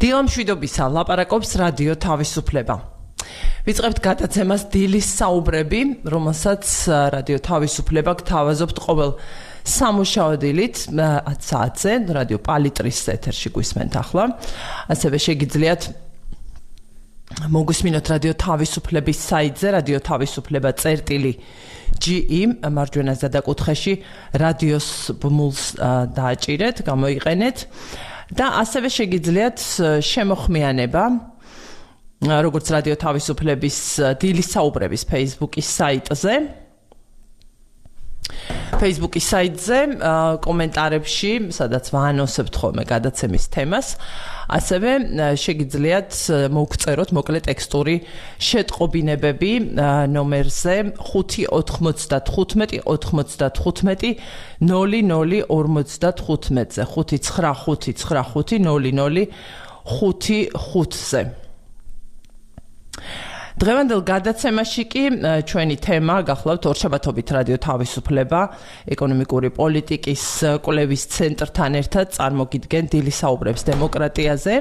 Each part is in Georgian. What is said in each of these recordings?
დილამშვიდობისა ლაპარაკობს რადიო თავისუფლება. ვიწყებთ გადაცემას დილის საუბრები, რომელსაც რადიო თავისუფლება გთავაზობთ ყოველ სამუშაო დილით 10 საათზე რადიო პალიტრის ეთერში გვისმენთ ახლა. ასევე შეგიძლიათ მოგусმინოთ რადიო თავისუფლების საიტზე რადიო თავისუფლება.ge მარჯვენა ზედაკუთხეში რადიოს ბმულს დააჭირეთ, გამოიყენეთ და ასევე შეგიძლიათ შემოხმიანება როგორც რადიო თავისუფლების დილის საუბრების Facebook-ის საიტზე Facebook-ის საიტზე კომენტარებში, სადაც ვაანონსებთ ხოლმე გადაცემის თემას, ასევე შეგიძლიათ მოგწეროთ მოკლე ტექსტური შეტყობინებები ნომერზე 595 95 0055-ზე 595500555-0055-ზე. დღევანდელ გადაცემაში კი ჩვენი თემა გახლავთ ორშაბათობით რადიო თავისუფლება ეკონომიკური პოლიტიკის კვლევის ცენტრთან ერთად წარმოგიდგენ დილის საუბრებს დემოკრატიაზე.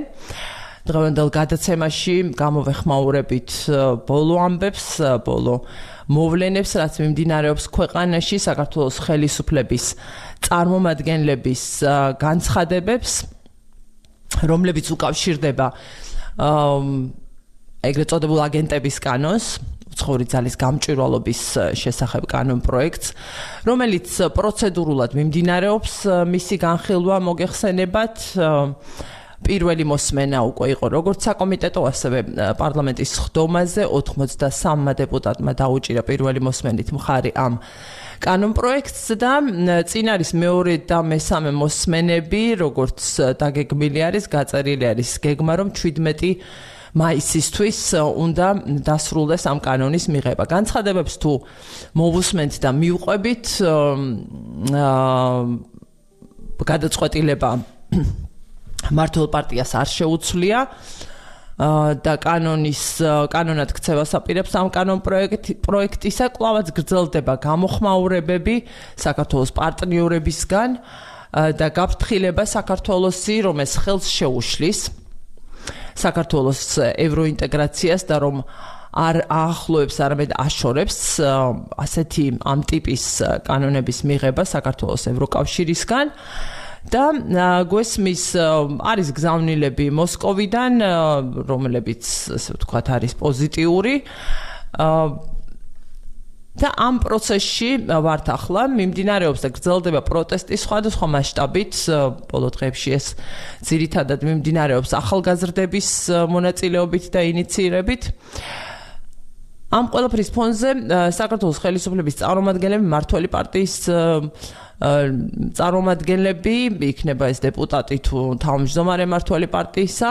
დღევანდელ გადაცემაში გამოვეხმაურებით ბოლო ამბებს, ბოლო მოვლენებს, რაც მიმდინარეობს ქვეყანაში, საქართველოს ხელისუფლების წარმომადგენლების განცხადებებს, რომლებიც უკავშირდება ეგრეთ წოდებულ აგენტების კანონს, უცხოური ძალის გამჭვირვალობის შესახებ კანონ პროექტს, რომელიც პროცედურულად მიმდინარეობს, მისი განხილვა მოგეხსენებათ. პირველი მოსმენა უკვე იყო როგორც საკომიტეტო, ასევე პარლამენტის ხდომაზე 83 დეპუტატმა დაუჭირა პირველი მოსმენით მხარი ამ კანონ პროექტს და წინ არის მეორე და მესამე მოსმენები, როგორც დაგეგმილი არის, გაწერილი არის გეგმა, რომ 17 მაისისთვის უნდა დასრულდეს ამ კანონის მიღება. განცხადებებს თუ მოვუსმენთ და მივყვებით, გადაწყვეტილება მართლ პარტიას არ შეუცვლია და კანონად ქცევას აპირებს ამ კანონ პროექტისა, კვლავაც გრძელდება გამოხმაურებები საქართველოს პარტნიორებისგან და გაფრთხილება საქართველოსი, რომ ეს ხელს შეუშლის საქართველოს ევროინტეგრაციას და რომ არ აახლოებს, არამედ აშორებს ასეთი ამ ტიპის კანონების მიღება საქართველოს ევროკავშირისგან და გვესმის არის გზავნილები მოსკოვიდან, რომლებიც ასე ვთქვათ არის პოზიტიური და ამ პროცესში ვართ ახლა, მიმდინარეობს და გრძელდება პროტესტი სხვადასხვა მასშტაბით, ბოლო დღეებში ეს ძირითადად მიმდინარეობს ახალგაზრდების მონაწილეობით და ინიციირებით. ამ ყველაფრის ფონზე საქართველოს ხელისუფლების წარმომადგენლები, მმართველი პარტიის წარმომადგენლები, იქნება ეს დეპუტატი თუ თავმჯდომარე მმართველი პარტიისა,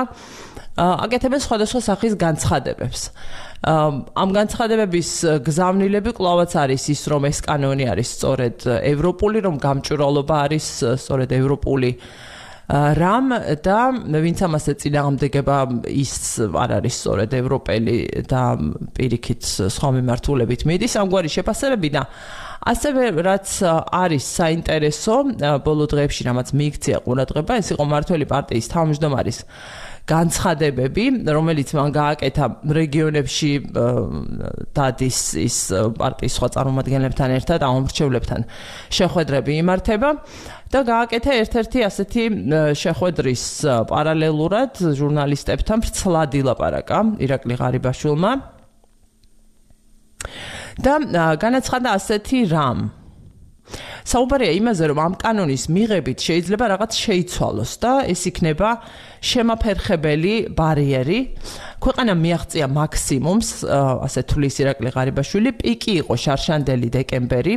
აკეთებენ სხვადასხვა სახის განცხადებებს. ამ განცხადებების გზავნილები კვლავაც არის ის, რომ ეს კანონი არის სწორედ ევროპული, რომ გამჭვირვალობა არის სწორედ ევროპული რამ და ვინც ამას ეწინააღმდეგება, ის არ არის სწორედ ევროპელი და პირიქით სხვა მიმართულებით მიდის. ამგვარი შეფასებები და ასევე რაც არის საინტერესო ბოლო დღეებში, რამაც მიიქცია ყურადღება, ეს იყო მმართველი პარტიის თავმჯდომარის განცხადებები, რომელიც მან გააკეთა რეგიონებში დადის ის პარტიის სხვა წარმომადგენლებთან ერთად ამომრჩევლებთან შეხვედრები იმართება და გააკეთა ერთ-ერთი ასეთი შეხვედრის პარალელურად ჟურნალისტებთან ვრცლად ილაპარაკა ირაკლი ღარიბაშვილმა და განაცხადა ასეთი რამ. საუბარია იმაზე, რომ ამ კანონის მიღებით შეიძლება რაღაც შეიცვალოს და ეს იქნება შემაფერხებელი ბარიერი. ქვეყანა მიაღწია მაქსიმუმს, ასე თulis ირაკლი ღარიბაშვილი, პიკი იყო შარშანდელი დეკემბერი,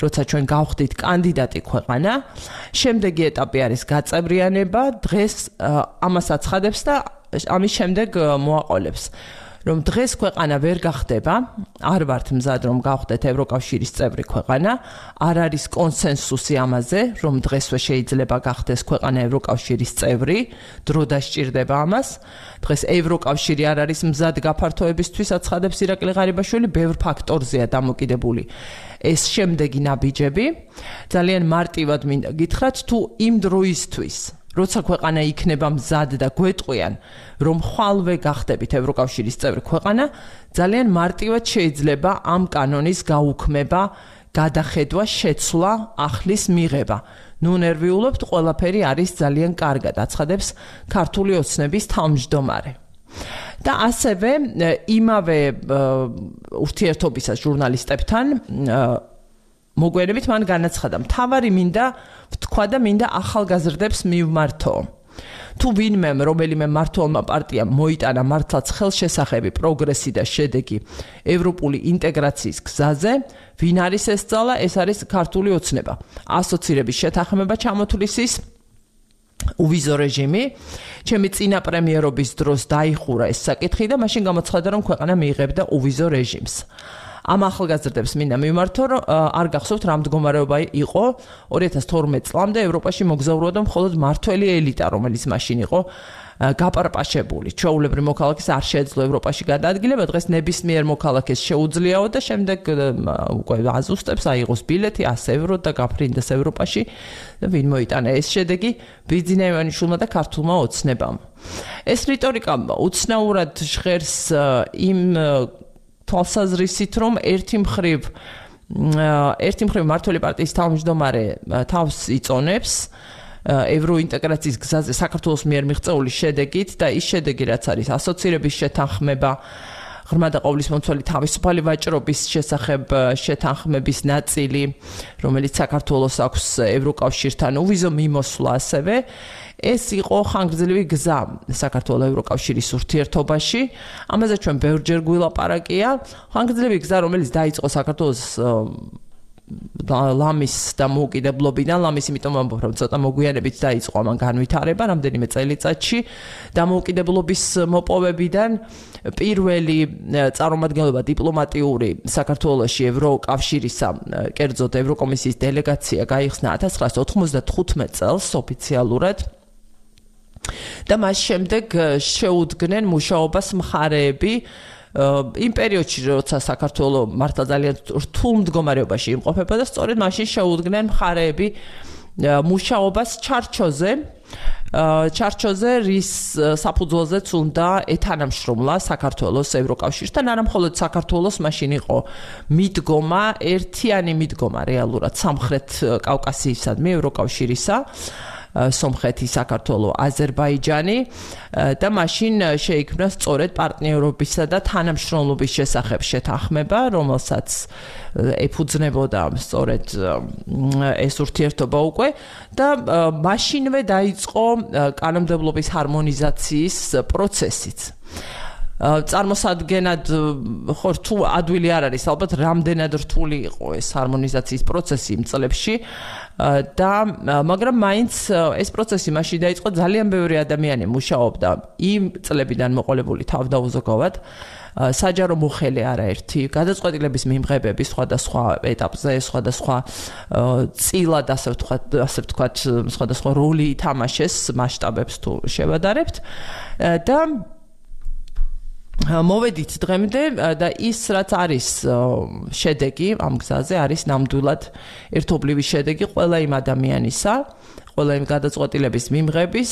როცა ჩვენ გავხდით კანდიდატი ქვეყანა. შემდეგი ეტაპი არის გაწევრიანება, დღეს ამას აცხადებს და ამის შემდეგ მოაყოლებს. რომ დღეს ქვეყანა ვერ გახდება, არ ვართ მზად რომ გავხდეთ ევროკავშირის წევრი ქვეყანა, არ არის კონსენსუსი ამაზე, რომ დღესვე შეიძლება გახდეს ქვეყანა ევროკავშირის წევრი, დრო დასჭირდება ამას. დღეს ევროკავშირი არ არის მზად გაფართოებისთვის, აცხადებს ირაკლი ღარიბაშვილი, ბევრ ფაქტორზეა დამოკიდებული ეს შემდეგი ნაბიჯები. ძალიან მარტივად მინდა გითხრათ, თუ იმ დროისთვის როცა ქვეყანა იქნება მზად და გვეტყვიან, რომ ხვალვე გახდებით ევროკავშირის წევრი ქვეყანა, ძალიან მარტივად შეიძლება ამ კანონის გაუქმება, გადახედვა, შეცვლა, ახლის მიღება. ნუ ნერვიულობთ, ყველაფერი არის ძალიან კარგად, აცხადებს ქართული ოცნების თავმჯდომარე. და ასევე იმავე ურთიერთობისას ჟურნალისტებთან მოგვიანებით მან განაცხადა, მთავარი მინდა ვთქვა და მინდა ახალგაზრდებს მივმართო. თუ ვინმემ რომელიმე მმართველმა პარტიამ მოიტანა მართლაც ხელშესახები, პროგრესი და შედეგი ევროპული ინტეგრაციის გზაზე, ვინ არის ეს ძალა? ეს არის ქართული ოცნება. ასოცირების შეთანხმება ჩამოთვლის ის uvizო რეჟიმი, ჩემი წინა პრემიერობის დროს დაიხურა ეს საკითხი და მაშინ გამოცხადა, რომ ქვეყანა მიიღებდა uvizო რეჟიმს. ამ ახალგაზრდებს მინდა მივმართო, რომ არ გახსოვთ რა მდგომარეობა იყო 2012 წლამდე ევროპაში მოგზაურობდა მხოლოდ მართველი ელიტა, რომელიც მაშინ იყო გაპარპაშებული. ჩვეულებრივ მოქალაქეს არ შეეძლო ევროპაში გადაადგილება, დღეს ნებისმიერ მოქალაქეს შეუძლიაო და შემდეგ უკვე აზუსტებს აიღოს ბილეთი 100 ევრო და გაფრინდეს ევროპაში და ვინ მოიტანა ეს შედეგი? ბიძინა ივანიშვილმა და ქართულმა ოცნებამ. ეს რიტორიკა უცნაურად ჟღერს იმ თვალსაზრისით, რომ ერთი მხრივ მმართველი პარტიის თავმჯდომარე თავს იწონებს ევროინტეგრაციის გზაზე საქართველოს მიერ მიღწეული შედეგით და ის შედეგი, რაც არის ასოცირების შეთანხმება, ღრმა და ყოვლისმომცველი თავისუფალი ვაჭრობის შესახებ შეთანხმების ნაწილი, რომელიც საქართველოს აქვს ევროკავშირთან uvizო მიმოსვლა ასევე, ეს იყო ხანგრძლივი გზა საქართველოს ევროკავშირის ურთიერთობაში. ამაზე ჩვენ ბევრჯერ გვილაპარაკია. ხანგრძლივი გზა, რომელიც დაიწყო საქართველოს ლამის დამოუკიდებლობიდან, ლამის იმიტომ ვამბობ, რომ ცოტა მოგვიანებით დაიწყო ამან განვითარება რამდენიმე წელიწადში, დამოუკიდებლობის მოპოვებიდან პირველი წარმომადგენლობა დიპლომატიური საქართველოში ევროკავშირისა, კერძოდ ევროკომისიის დელეგაცია გაიხსნა 1995 წელს ოფიციალურად. და მას შემდეგ შეუდგნენ მუშაობას მხარეები იმ პერიოდში, როცა საქართველო მართლა ძალიან რთულ მდგომარეობაში იმყოფება და სწორედ მაშინ შეუდგნენ მხარეები მუშაობას ჩარჩოზე, რის საფუძველზეც უნდა ეთანამშრომლა საქართველოს ევროკავშირთან, არა მხოლოდ საქართველოს მაშინ იყო მიდგომა, ერთიანი მიდგომა რეალურად სამხრეთ კავკასიისადმი ევროკავშირისა, სომხეთი, საქართველო, აზერბაიჯანი და მაშინ შეიქმნა სწორედ პარტნიორობისა და თანამშრომლობის შესახებ შეთანხმება, რომელსაც ეფუძნებოდა სწორედ ეს ურთიერთობა უკვე და მაშინვე დაიწყო კანონმდებლობის ჰარმონიზაციის პროცესიც. წარმოსადგენად ხო თუ ადვილი არ არის, ალბათ რამდენად რთული იყო ეს ჰარმონიზაციის პროცესი იმ წლებში და მაგრამ მაინც ეს პროცესი მაშინ დაიწყო, ძალიან ბევრი ადამიანი მუშაობდა იმ წლებიდან მოყოლებული თავდაუზოგავად საჯარო მოხელე არაერთი გადაწყვეტილების მიმღებების სხვადასხვა ეტაპზე, სხვადასხვა წილად ასე ვთქვათ, სხვადასხვა როლი ითამაშეს მასშტაბებს თუ შევადარებთ და მოვედით დღემდე და ის რაც არის შედეგი ამ გზაზე არის ნამდვილად ერთობლივი შედეგი ყველა იმ ადამიანისა, ყველა იმ გადაწყვეტილების მიმღების,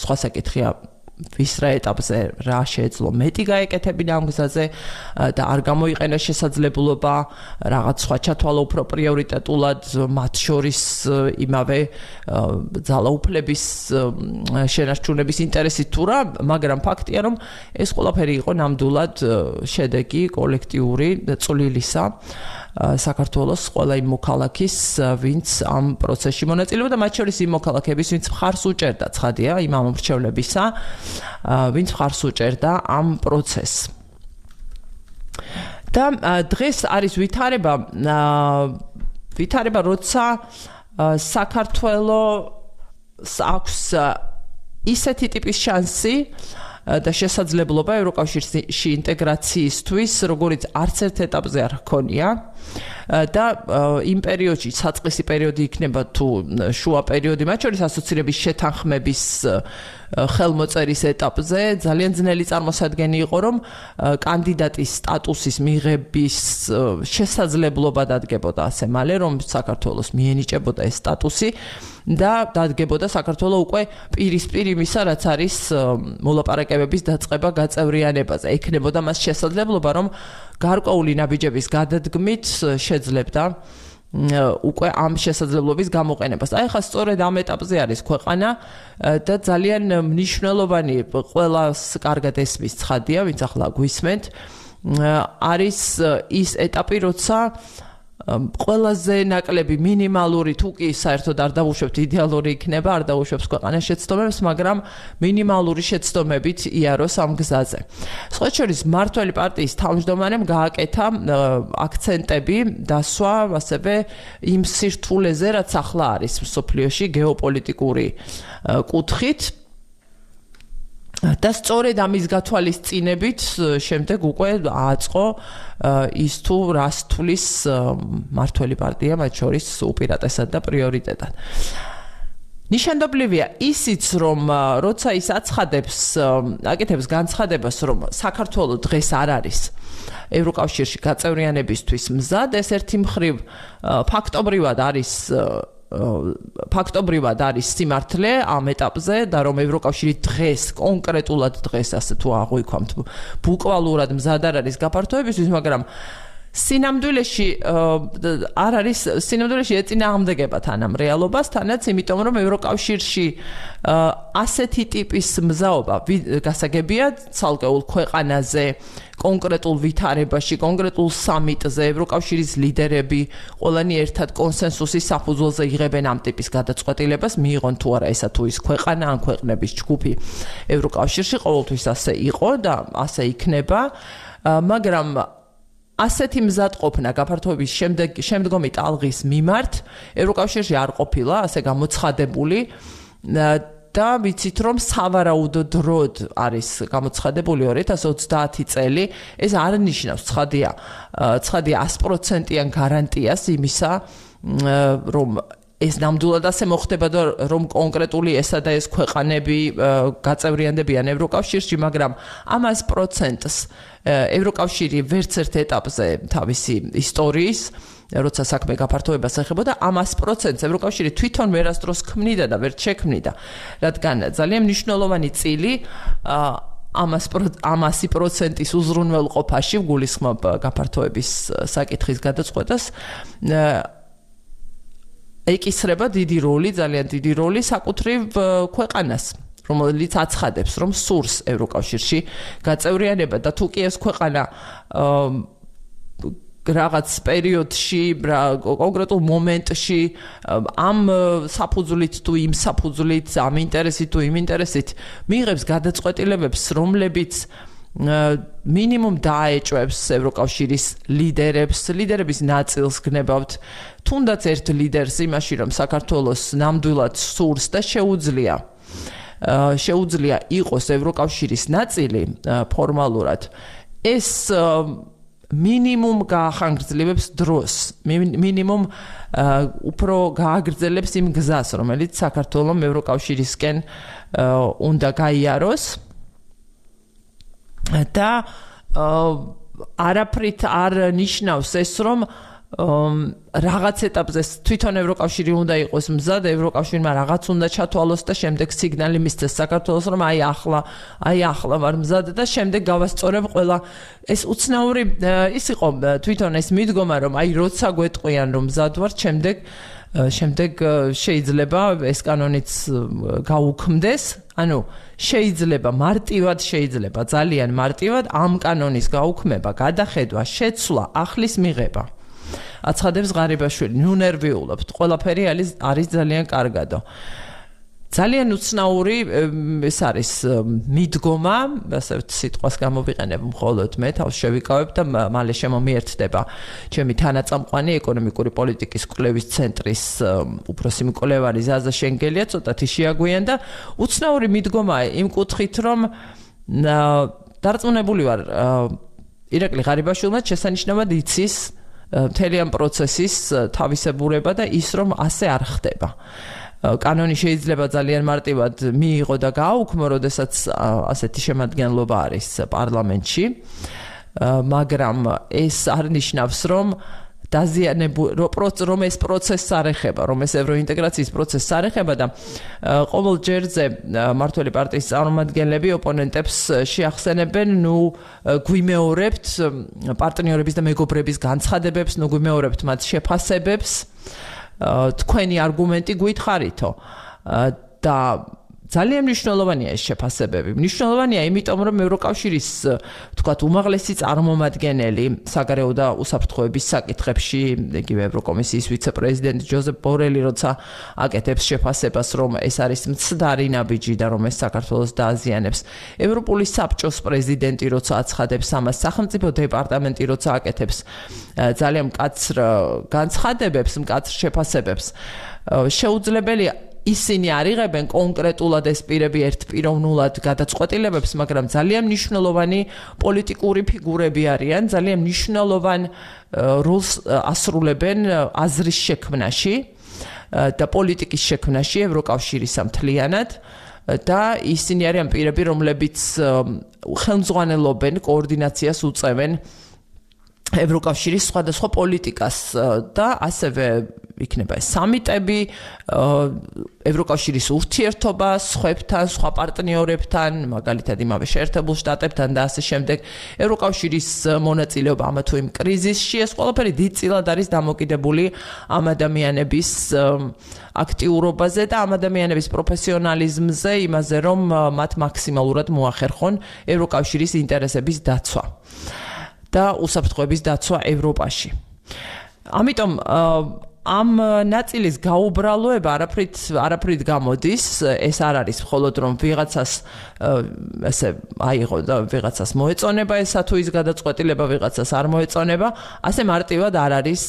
სხვა საკითხია ვის რა ეტაპზე რა შეეძლო მეტი გაეკეთებინა ამ გზაზე და არ გამოიყენა შესაძლებლობა რაღაც სხვა ჩათვალა უფრო პრიორიტეტულად მათ შორის იმავე ძალაუფლების შენარჩუნების ინტერესით თუ რა, მაგრამ ფაქტია, რომ ეს ყველაფერი იყო ნამდვილად შედეგი კოლექტიური წვლილისა საქართველოს ყველა იმ მოქალაქის, ვინც ამ პროცესში მონაწილეობდა, მათ შორის იმ მოქალაქეების, ვინც მხარს უჭერდა, ცხადია, იმ ამომრჩევლებისა, ვინც მხარს უჭერდა ამ პროცესს. და დღეს არის ვითარება, როცა საქართველოს აქვს ისეთი ტიპის შანსი და შესაძლებლობა ევროკავშირში ინტეგრაციისთვის, როგორც არც ერთ ეტაპზე არ ჰქონია. და იმ პერიოდში საწყისი პერიოდი იქნება თუ შუა პერიოდი, მათ შორის ასოცირების შეთანხმების ხელმოწერის ეტაპზე ძალიან ძნელი წარმოსადგენი იყო, რომ კანდიდატის სტატუსის მიღების შესაძლებლობა დადგებოდა ასე მალე, რომ საქართველოს მიენიჭებოდა ეს სტატუსი და დადგებოდა საქართველოს უკვე პირისპირ იმისა, რაც არის მოლაპარაკებების დაწყება გაწევრიანებაზე. ექნებოდა მას შესაძლებლობა, რომ გარკვეული ნაბიჯების გადადგმით შეძლებდა უკვე ამ შესაძლებლობის გამოყენებას. აი ხა სწორედ ამ ეტაპზე არის ქვეყანა და ძალიან მნიშვნელოვანი ყველას კარგად ესმის ცხადია, ვინც ახლა გვისმენთ, არის ის ეტაპი, როცა ყველაზე ნაკლები მინიმალური თუ კი საერთოდ არ დავუშვებთ იდეალური იქნება, არ დავუშვებს ქვეყანას შეცდომებს, მაგრამ მინიმალური შეცდომებით იაროს ამ გზაზე. სხვა შორის მმართველი პარტიის თავმჯდომარემ გააკეთა აქცენტები დასვა ასევე იმ სირთულეზე, რაც ახლა არის მსოფლიოში გეოპოლიტიკური კუთხით. და სწორედ ამის გათვალისწინებით შემდეგ უკვე აწყო ის თუ რას თulis მმართველი პარტია მათ შორის უპირატესად და პრიორიტეტად. ნიშანდობლივია ისიც, რომ როცა ის აცხადებს, აკეთებს განცხადებას, რომ საქართველოს დღეს არ არის ევროკავშირში გაწევრიანებისთვის მზად, ეს ერთი მხრივ ფაქტობრივად არის სიმართლე ამ ეტაპზე და რომ ევროკავშირი დღეს კონკრეტულად დღეს ასე თუ აღვიქვამთ ბუკვალურად მზად არ არის გაფართოებისთვის, მაგრამ სინამდვილეში არ არის სინამდვილეში ეწინააღმდეგება თან ამ რეალობასთანაც, იმიტომ რომ ევროკავშირში ასეთი ტიპის მზაობა გასაგებია ცალკეულ ქვეყანაზე, კონკრეტულ ვითარებაში, კონკრეტულ სამიტზე ევროკავშირის ლიდერები ყველანი ერთად კონსენსუსის საფუძველზე იღებენ ამ ტიპის გადაწყვეტილებას, მიიღონ თუ არა ესა თუ ის ქვეყანა ან ქვეყნების ჯგუფი ევროკავშირში, ყოველთვის ასე იყო და ასე იქნება, მაგრამ ასეთი მზადყოფნა გაფართოების შემდგომი ტალღის მიმართ ევროკავშირში არ ყოფილა ასე გამოცხადებული და ვიცით რომ სავარაუდოდ დროდ არის გამოცხადებული 2030 წელი. ეს არ ნიშნავს ცხადია 100%-იან გარანტიას იმისა, რომ ეს ნამდვილად ასე მოხდება და რომ კონკრეტული ესა და ეს ქვეყანები გაწევრიანდებიან ევროკავშირში, მაგრამ ამ 100%-ს ევროკავშირი ვერც ერთ ეტაპზე თავისი ისტორიის, როცა საქმე გაფართოებას ეხებოდა, ამ 100%-ს ევროკავშირი თვითონ ვერასდროს ქმნიდა და ვერ შექმნიდა, რადგან ძალიან მნიშვნელოვანი წილი ამ 100%-ის უზრუნველყოფაში გულისხმობ გაფართოების საკითხის გადაწყვეტას ეკისრება დიდი როლი, ძალიან დიდი როლი საკუთრივ ქვეყანას, რომელიც აცხადებს, რომ სურს ევროკავშირში გაწევრიანება და თუ კი ეს ქვეყანა რაღაც პერიოდში, კონკრეტულ მომენტში ამ საფუძვლით თუ იმ საფუძვლით, ამ ინტერესით თუ იმ ინტერესით მიიღებს გადაწყვეტილებებს, რომლებიც მინიმუმ დაეჭვებს ევროკავშირის ლიდერების ნაწილს გნებავთ, თუნდაც ერთ ლიდერს იმაში, რომ საქართველოს ნამდვილად სურს და შეუძლია იყოს ევროკავშირის ნაწილი ფორმალურად, ეს მინიმუმ გაახანგრძლივებს დროს, მინიმუმ უფრო გააგრძელებს იმ გზას, რომელიც საქართველოს ევროკავშირისკენ უნდა გაიაროს და არაფრით არ ნიშნავს ეს, რომ რაღაც ეტაპზე თვითონ ევროკავშირი უნდა იყოს მზად, ევროკავშირმა რაღაც უნდა ჩათვალოს და შემდეგ სიგნალი მისცეს საქართველოს, რომ აი ახლა ვარ მზად და შემდეგ გავასწორებ ყველა. ეს უცნაური ის იყო თვითონ ეს მიდგომა, რომ აი როცა გვეტყვიან რომ მზად ვარ, შემდეგ შეიძლება ეს კანონიც გაუქმდეს, ანუ შეიძლება ძალიან მარტივად ამ კანონის გაუქმება, გადახედვა, შეცვლა, ახლის მიღება. აცხადებს ღარიბაშვილი, ნუ ნერვიულობთ, ყველაფერი არის ძალიან კარგადო. ძალიან უცნაური ეს არის მიდგომა, ასე სიტყვას გამოვიყენებ მხოლოდ მე, თავს შევიკავებ და მალე შემომიერთდება ჩემი თანაწამყვანი ეკონომიკური პოლიტიკის კვლევის ცენტრის უფროსი მკვლევარი ზაზა შენგელია, ცოტათი შეაგვიან და უცნაური მიდგომაა იმ კუთხით, რომ დარწმუნებული ვარ ირაკლი ღარიბაშვილმა შესანიშნავად იცის მთელი ამ პროცესის თავისებურება და ის რომ ასე არ ხდება. კანონი შეიძლება ძალიან მარტივად მიიღო და გააუქმო, როდესაც ასეთი შემადგენლობა არის პარლამენტში, მაგრამ ეს არ ნიშნავს, რომ რომ ეს პროცესს არ ეხება, რომ ეს ევროინტეგრაციის პროცესს არ ეხება და ყოველ ჯერზე მმართველი პარტიის წარმომადგენლები ოპონენტებს შეახსენებენ, გვიმეორებთ პარტნიორების და მეგობრების განცხადებებს, გვიმეორებთ მათ შეფასებებს, თქვენი არგუმენტი გითხარითო და ძალიან მნიშვნელოვანია ეს შეფასებები. მნიშვნელოვანია იმიტომ, რომ ევროკავშირის, თქვათ, უმაღლესი წარმომადგენელი საგარეო და უსაფრთხოების საკითხებში, იგივე ევროკომისიის ვიცე-პრეზიდენტი ჯოზეფ ბორელი, როცა აკეთებს შეფასებას, რომ ეს არის მცდარი ნაბიჯი და რომ ეს საქართველოს დააზიანებს. ევროპული საბჭოს პრეზიდენტი, როცა აცხადებს ამას, სახელმწიფო დეპარტამენტი, როცა აკეთებს ძალიან მკაცრ განცხადებებს, მკაცრ შეფასებებს, შეუძლებელია ისინი არიღებენ კონკრეტულად ეს პირები ერთპიროვნულად გადაწყვეტილებებს, მაგრამ ძალიან მნიშვნელოვანი პოლიტიკური ფიგურები არიან, ძალიან მნიშვნელოვან როლს ასრულებენ აზრის შექმნაში და პოლიტიკის შექმნაში ევროკავშირის მთლიანად და ისინი არიან პირები, რომლებიც ხელმძღვანელობენ, კოორდინაციას უწევენ ევროკავშირის სხვადასხვა პოლიტიკას და ასევე იქნება ეს სამიტები, ევროკავშირის ურთიერთობა სხვებთან, სხვა პარტნიორებთან, მაგალითად იმავე შეერთებულ შტატებთან და ასე შემდეგ, ევროკავშირის მონაწილეობა ამა თუ იმ კრიზისში, ეს ყველაფერი დიდწილად არის დამოკიდებული ამ ადამიანების აქტიურობაზე და ამ ადამიანების პროფესიონალიზმზე, იმაზე, რომ მათ მაქსიმალურად მოახერხონ ევროკავშირის ინტერესების დაცვა და უსაფრთხოების დაცვა ევროპაში. ამიტომ ამ ნაწილის გაუბრალოება არაფრით გამოდის, ეს არ არის მხოლოდ რომ ვიღაცას ესე აიღო და ვიღაცას მოეწონება ესა თუ ის გადაწყვეტილება ვიღაცას არ მოეწონება, ასე მარტივად არ არის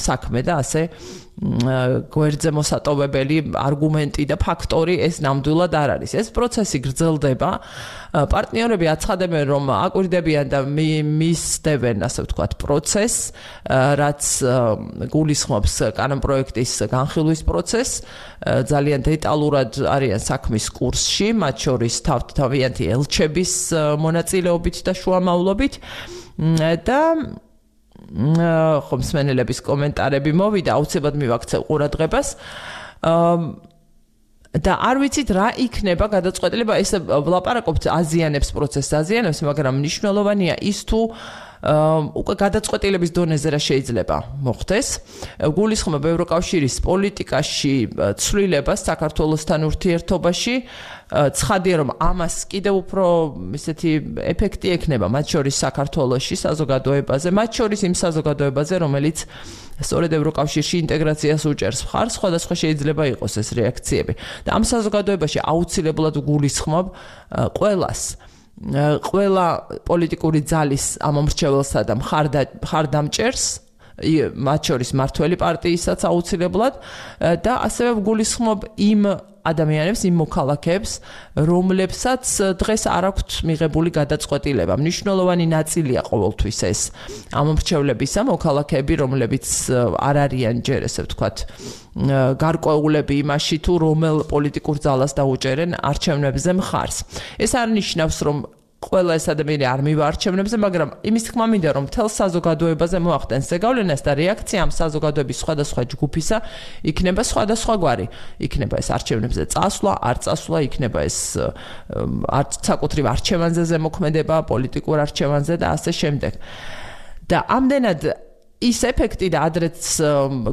საქმე და ასე გვერდზე მოსატოვებელი არგუმენტი და ფაქტორი ეს ნამდვილად არ არის. ეს პროცესი გრძელდება. პარტნიორები აცხადებენ, რომ აკვირდებიან და მისდევენ, ასე ვთქვათ, პროცესს, რაც გულისხმობს კანონპროექტის განხილვის პროცესს. ძალიან დეტალურად არიან საქმის კურსში, მათ შორის თავიანთი ელჩების მონაწილეობით და შუამავლობით და ხომსმენელების კომენტარები მოვიდა, აუცილებლად მივაქცევ ყურადღებას. და არ ვიცით რა იქნება გადაწყვეტილება, ეს ვლაპარაკობთ აზიანებს პროცესს, აზიანებს, მაგრამ მნიშვნელოვანია ის თუ უკვე გადაწყვეტილების დონეზე რა შეიძლება მოხდეს. გულისხმობ ევროკავშირის პოლიტიკაში ცვლილებას საქართველოსთან ურთიერთობაში, ცხადია რომ ამას კიდევ უფრო ისეთი ეფექტი ექნება მათ შორის საქართველოში საზოგადოებაზე, მათ შორის იმ საზოგადოებაზე, რომელიც სწორედ ევროკავშირში ინტეგრაციას უჭერს მხარს, სხვადასხვა შეიძლება იყოს ეს რეაქციები. და ამ საზოგადოებაში აუცილებლად გულისხმობ ყველა პოლიტიკური ძალის ამომრჩეველსა და მხარდამჭერს, მათ შორის მმართველი პარტიისაც აუცილებლად და ასევე გულისხმობ იმ ადამიანებს, იმ მოქალაქეებს, რომლებსაც დღეს არ აქვთ მიღებული გადაწყვეტილება. მნიშვნელოვანი ნაწილია ყოველთვის ეს ამომრჩევლებისა, მოქალაქეები, რომლებიც არ არიან ჯერ ესე ვთქვათ, გარკვეულები იმაში თუ რომელ პოლიტიკურ ძალას დაუჭერენ არჩევნებზე მხარს. ეს არ ნიშნავს, რომ ყველა ეს ადამიანი არ მივა არჩევნებზე, მაგრამ იმის თქმა მინდა, რომ მთელ საზოგადოებაზე მოახდენს ზეგავლენას და რეაქცია ამ საზოგადოების სხვადასხვა ჯგუფისა იქნება სხვადასხვაგვარი. იქნება ეს არჩევნებზე წასვლა, არ წასვლა, იქნება ეს საკუთრივ არჩევანზე ზემოქმედება, პოლიტიკურ არჩევანზე და ასე შემდეგ. და ამდენად ის ეფექტი და ადრეც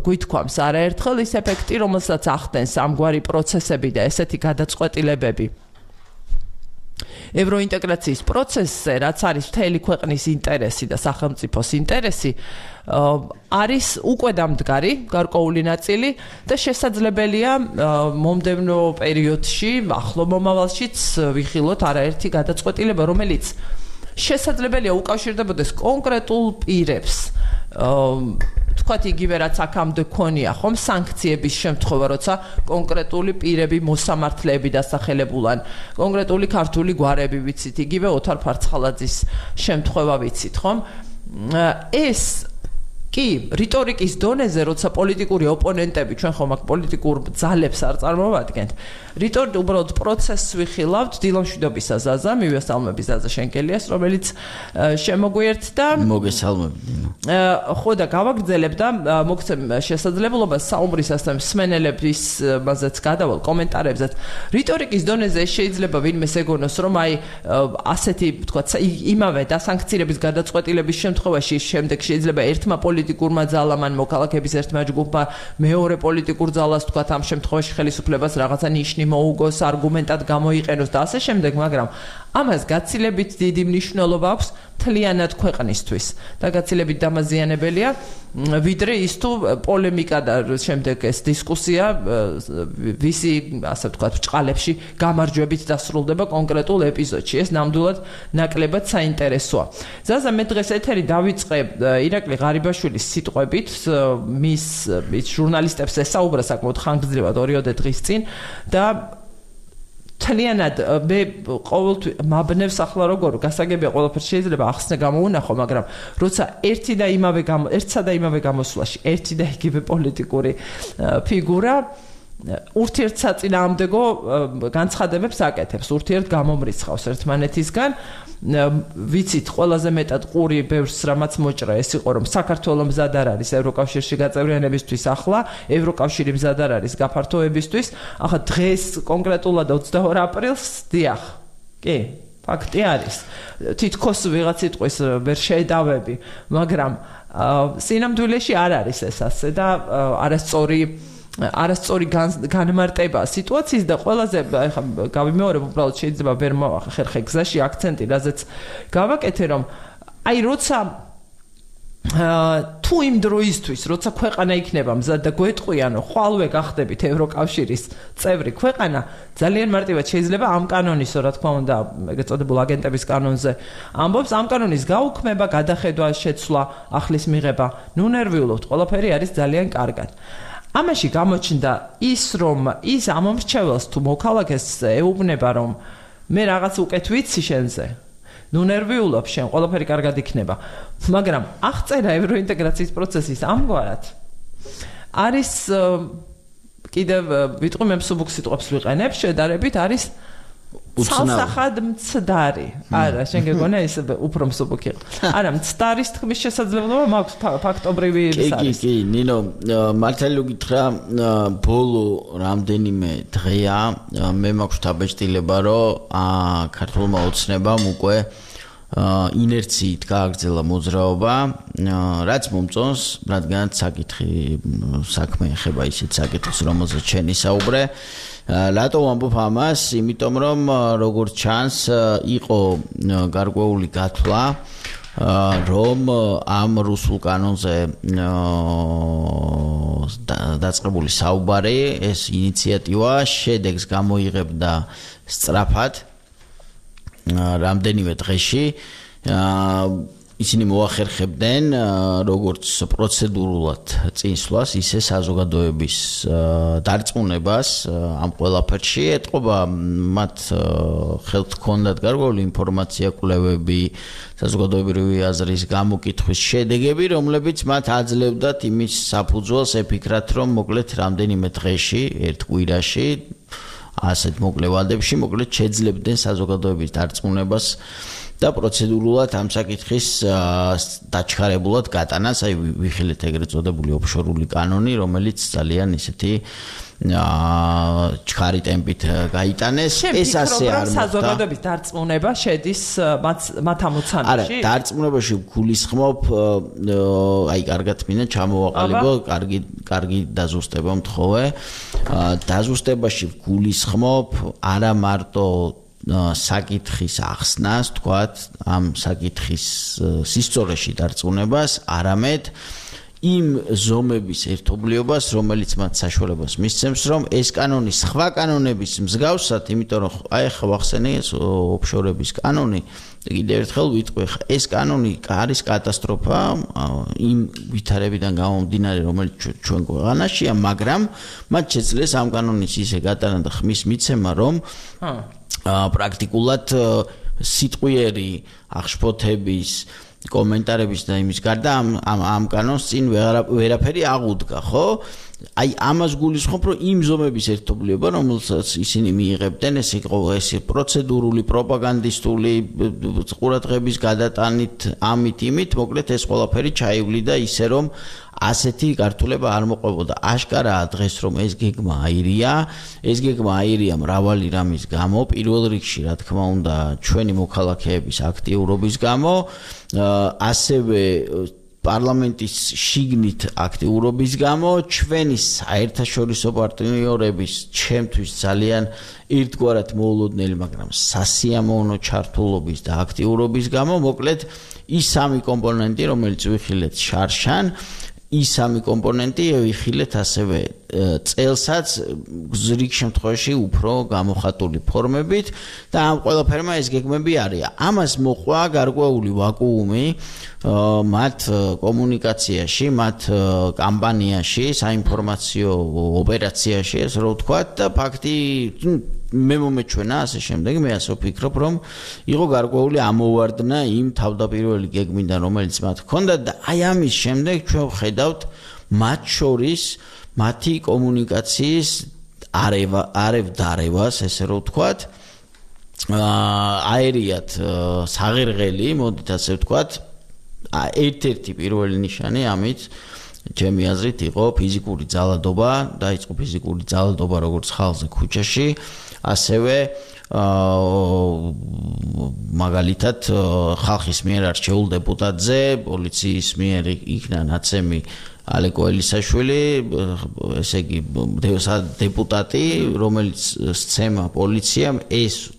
გვითქვამს არაერთხელ ის ეფექტი, რომელსაც ახდენს ამგვარი პროცესები და ესეთი გადაწყვეტილებები. ევროინტეგრაციის პროცესზე, რაც არის მთელი ქვეყნის ინტერესი და სახელმწიფოს ინტერესი, არის უკვე დამდგარი გარკვეული ნაწილი და შესაძლებელია მომდევნო პერიოდში, ახლო მომავალშიც ვიხილოთ არაერთი გადაწყვეტილება, რომელიც შესაძლებელია უკავშირდებოდეს კონკრეტულ პირებს. თქვათ იგივე რაც აქამდე ქონია ხომ სანქციების შემთხვევა, როცა კონკრეტული პირები მოსამართლეები დასახელებულან, კონკრეტული ქართული გვარები ვიცით, იგივე ოთარ ფარცხალაძის შემთხვევა ვიცით, ხომ? ეს კი, რიტორიკის დონეზე, როცა პოლიტიკური ოპონენტები, ჩვენ ხომ აქ პოლიტიკურ ძალებს არ წარმოვადგენთ. უბრალოდ პროცესს ვიხილავთ დილომშვიდობის აზაზა, მივესალმების აზაზა შენკელიას, რომელიც შემოგვიერთდა. მოგესალმებით. ხო და გავაგრძელებ და მოგცემ შესაძლებლობას საუბრისასთან მსმენელების მასეც გადავალ კომენტარებზეც. რიტორიკის დონეზე შეიძლება ვინმეს ეგონოს, რომ აი ასეთი, თქვათ, იმავე დასანქცირების გადაწყვეტილების შემთხვევაში შემდეგ შეიძლება ერთმა პოლიტიკურმა ძალამ ან მოქალაქეების ერთმა ჯგუფმა მეორე პოლიტიკურ ძალას თქვათ ამ შემთხვევაში ხელისუფლებას რაღაცა ნიშნი მოუგოს, არგუმენტად გამოიყენოს და ასე შემდეგ, მაგრამ ამას გაცილებით დიდი მნიშვნელობა აქვს მთლიანად ქვეყნისთვის და გაცილებით დამაზიანებელია ვიდრე ის თუ პოლემიკა და შემდეგ ეს დისკუსია ვისი ასე ვთქვათ ბრჭყალებში გამარჯვებით დასრულდება კონკრეტულ ეპიზოდში. ეს ნამდვილად ნაკლებად საინტერესოა. ზაზა მე დღეს ეთერი დავიწყე ირაკლი ღარიბაშვილის სიტყვებით, მის ჟურნალისტებს ესაუბრა საკმაოდ ხანგრძლივად 2 დღის წინ და თლიანად მე ყოველთვის მაბნევს ახლა როგორ გასაგებია ყველაფერს შეიძლება ახსნა გამოუნახო, მაგრამ როცა ერთსა და იმავე გამოსვლაში ერთი და იგივე პოლიტიკური ფიგურა ურთიერთსაწინააღმდეგო განცხადებებს აკეთებს, ურთიერთ გამომრიცხავს ერთმანეთისგან. ვიცით ყველაზე მეტად ყური ბევრს რამაც მოჭრა ეს იყო რომ საქართველოს მზად არ არის ევროკავშირში გაწევრიანებისთვის, ახლა ევროკავშირი მზად არ არის გაფართოებისთვის. ახლა დღეს კონკრეტულად 22 აპრილს დიახ. კი, ფაქტი არის. თითქოს ვიღაც სიტყვის ვერ შედავები, მაგრამ სინამდვილეში არ არის ეს ასე და არასწორი განმარტება სიტუაციის და ყველაზე ახლა გავიმეორებ უბრალოდ შეიძლება ვერ მოახერხე გზაში აქცენტი, რაზეც გავაკეთე რომ აი როცა თუ იმ დროისთვის, როცა ქვეყანა იქნება მზად და გვეტყვიანო, ხვალვე გახდებით ევროკავშირის წევრი ქვეყანა, ძალიან მარტივად შეიძლება ამ კანონის, რა თქმა უნდა, ეგრეთ წოდებულ აგენტების კანონზე ამბობს, ამ კანონის გაუქმება, გადახედვა, შეცვლა, ახლის მიღება, ნუ ნერვიულობთ, ყველაფერი არის ძალიან კარგად. ამაში გამოჩნდა ის, რომ ის ამომრჩეველს თუ მოქალაქეს ეუბნება, რომ მე რაღაც უკეთ ვიცი შენზე, ნუ ნერვიულობ შენ, ყველაფერი კარგად იქნება. მაგრამ აღწერა ევროინტეგრაციის პროცესის ამგვარად არის კიდევ ვიტყვი მე მსუბუქ სიტყვებს ვიყენებ, შედარებით არის ცალსახად მცდარი. არა, შენ გეგონა ის უფრო მსუბუქი იყო. არა, მცდარის თქმის შესაძლებლობა მაქვს ფაქტობრივი ის არის. კი, ნინო, მართალი გითხრა, ბოლო რამდენიმე დღეა მე მაქვს დაბეჭდილება, რომ ქართულმა ოცნებამ უკვე ინერციით გააგრძელა მოძრაობა, რაც მომწონს, რადგან საქმე ეხება ისეთ საკითხს, რომელზეც შენ ისაუბრე. რატო ვამბობ ამას? იმიტომ რომ როგორც ჩანს, იყო გარკვეული გათვლა, რომ ამ რუსულ კანონზე დაწყებული საუბარი, ეს ინიციატივა შედეგს გამოიღებდა სწრაფად რამდენიმე დღეში. ისინი მოახერხებდნენ როგორც პროცედურულად წინსვლას, ისე საზოგადოების დარწმუნებას ამ ყველაფერში. ეტყობა მათ ხელთ ჰქონდათ გარკვეული ინფორმაცია, კვლევები, საზოგადოებრივი აზრის გამოკითხვის შედეგები, რომლებიც მათ აძლევდათ იმის საფუძველს ეფიქრათ, რომ მოკლედ რამდენიმე დღეში, ერთ კვირაში, ასეთ მოკლე ვადებში, მოკლედ შეძლებდნენ საზოგადოების დარწმუნებას და პროცედურულად ამ საკითხის დაჩქარებულად გატანას, აი ვიხილეთ ეგრეთ წოდებული ოფშორული კანონი, რომელიც ძალიან ისეთი ჩქარი ტემპით გაიტანეს. ეს ასე არ მოხდა. საზოგადოების დარწმუნება შედის მათ ამოცანაში? არა, დარწმუნებაში გულისხმობ, აი კარგად მინდა ჩამოვაყალიბო, კარგი დაზუსტება მთხოვე. დაზუსტებაში გულისხმობ არა მარტო საკითხის ახსნას, თქვათ, ამ საკითხის სისწორეში დარწმუნებას, არამედ იმ ზომების ერთობლიობას, რომელიც მათ საშუალებას მისცემს, რომ ეს კანონი სხვა კანონების მსგავსად, იმიტომ რომ აი ახლა ვახსენე ეს ოფშორების კანონი, კიდევ ერთხელ ვიტყვი, ეს კანონი არის კატასტროფა იმ ვითარებიდან გამომდინარე, რომელიც ჩვენ ქვეყანაშია, მაგრამ მათ შეძლეს ამ კანონის ისე გატანა და ხმის მიცემა, რომ პრაქტიკულად სიტყვიერი აღშფოთების კომენტარების და იმის გარდა ამ კანონს წინ ვერაფერი აღუდგა, ხო? აი ამას გულისხმობ, რომ იმ ზომების ერთობლიობა, რომელსაც ისინი მიიღებდნენ, ეს იყო პროცედურული, პროპაგანდისტული ყურადღების გადატანით, ამით, მოკლედ ეს ყველაფერი ჩაივლიდა ისე, რომ ასეთი გართულება არ მოყვებოდა. აშკარაა დღეს, რომ ეს გეგმა აირია მრავალი რამის გამო, პირველ რიგში, რა თქმა უნდა, ჩვენი მოქალაქეების აქტიურობის გამო, ასევე პარლამენტის შიგნით აქტიურობის გამო, ჩვენი საერთაშორისო პარტნიორების ჩემთვის ძალიან ერთგვარად მოულოდნელი, მაგრამ სასიამოვნო ჩართულობის და აქტიურობის გამო, მოკლედ ის სამი კომპონენტი, რომელიც ვიხილეთ შარშან, ის სამი კომპონენტი ვიხილეთ ასევე წელსაც რიგ შემთხვევაში უფრო გამოხატული ფორმებით და ამ ყველაფერმა ეს გეგმები არიან. ამას მოყვა გარკვეული ვაკუუმი მათ კომუნიკაციაში, მათ კამპანიაში, საინფორმაციო ოპერაციაში, ასე რომ ვთქვათ და ფაქტი მე მომეჩვენა ასე შემდეგ, მე ასე ვფიქრობ, რომ იყო გარკვეული ამოვარდნა იმ თავდაპირველი გეგმიდან, რომელიც მათ ჰქონდა და აი ამის შემდეგ ჩვენ ვხედავთ მათ შორის მათი კომუნიკაციის არევ-დარევას, ესე რომ ვთქვათ, აერიათ საღირღელი, მოდით ასე ვთქვათ, ერთ-ერთი პირველი ნიშანი ამით ჩემი აზრით იყო ფიზიკური ძალადობა, დაიწყო ფიზიკური ძალადობა როგორც ხალხზე ქუჩაში, ასევე მაგალითად ხალხის მიერ არჩეულ დეპუტატზე პოლიციის მიერ იქნა ნაცემი ალეკო ელისაშვილი, ესე იგი დეპუტატი, რომელიც სცემა პოლიციამ ეს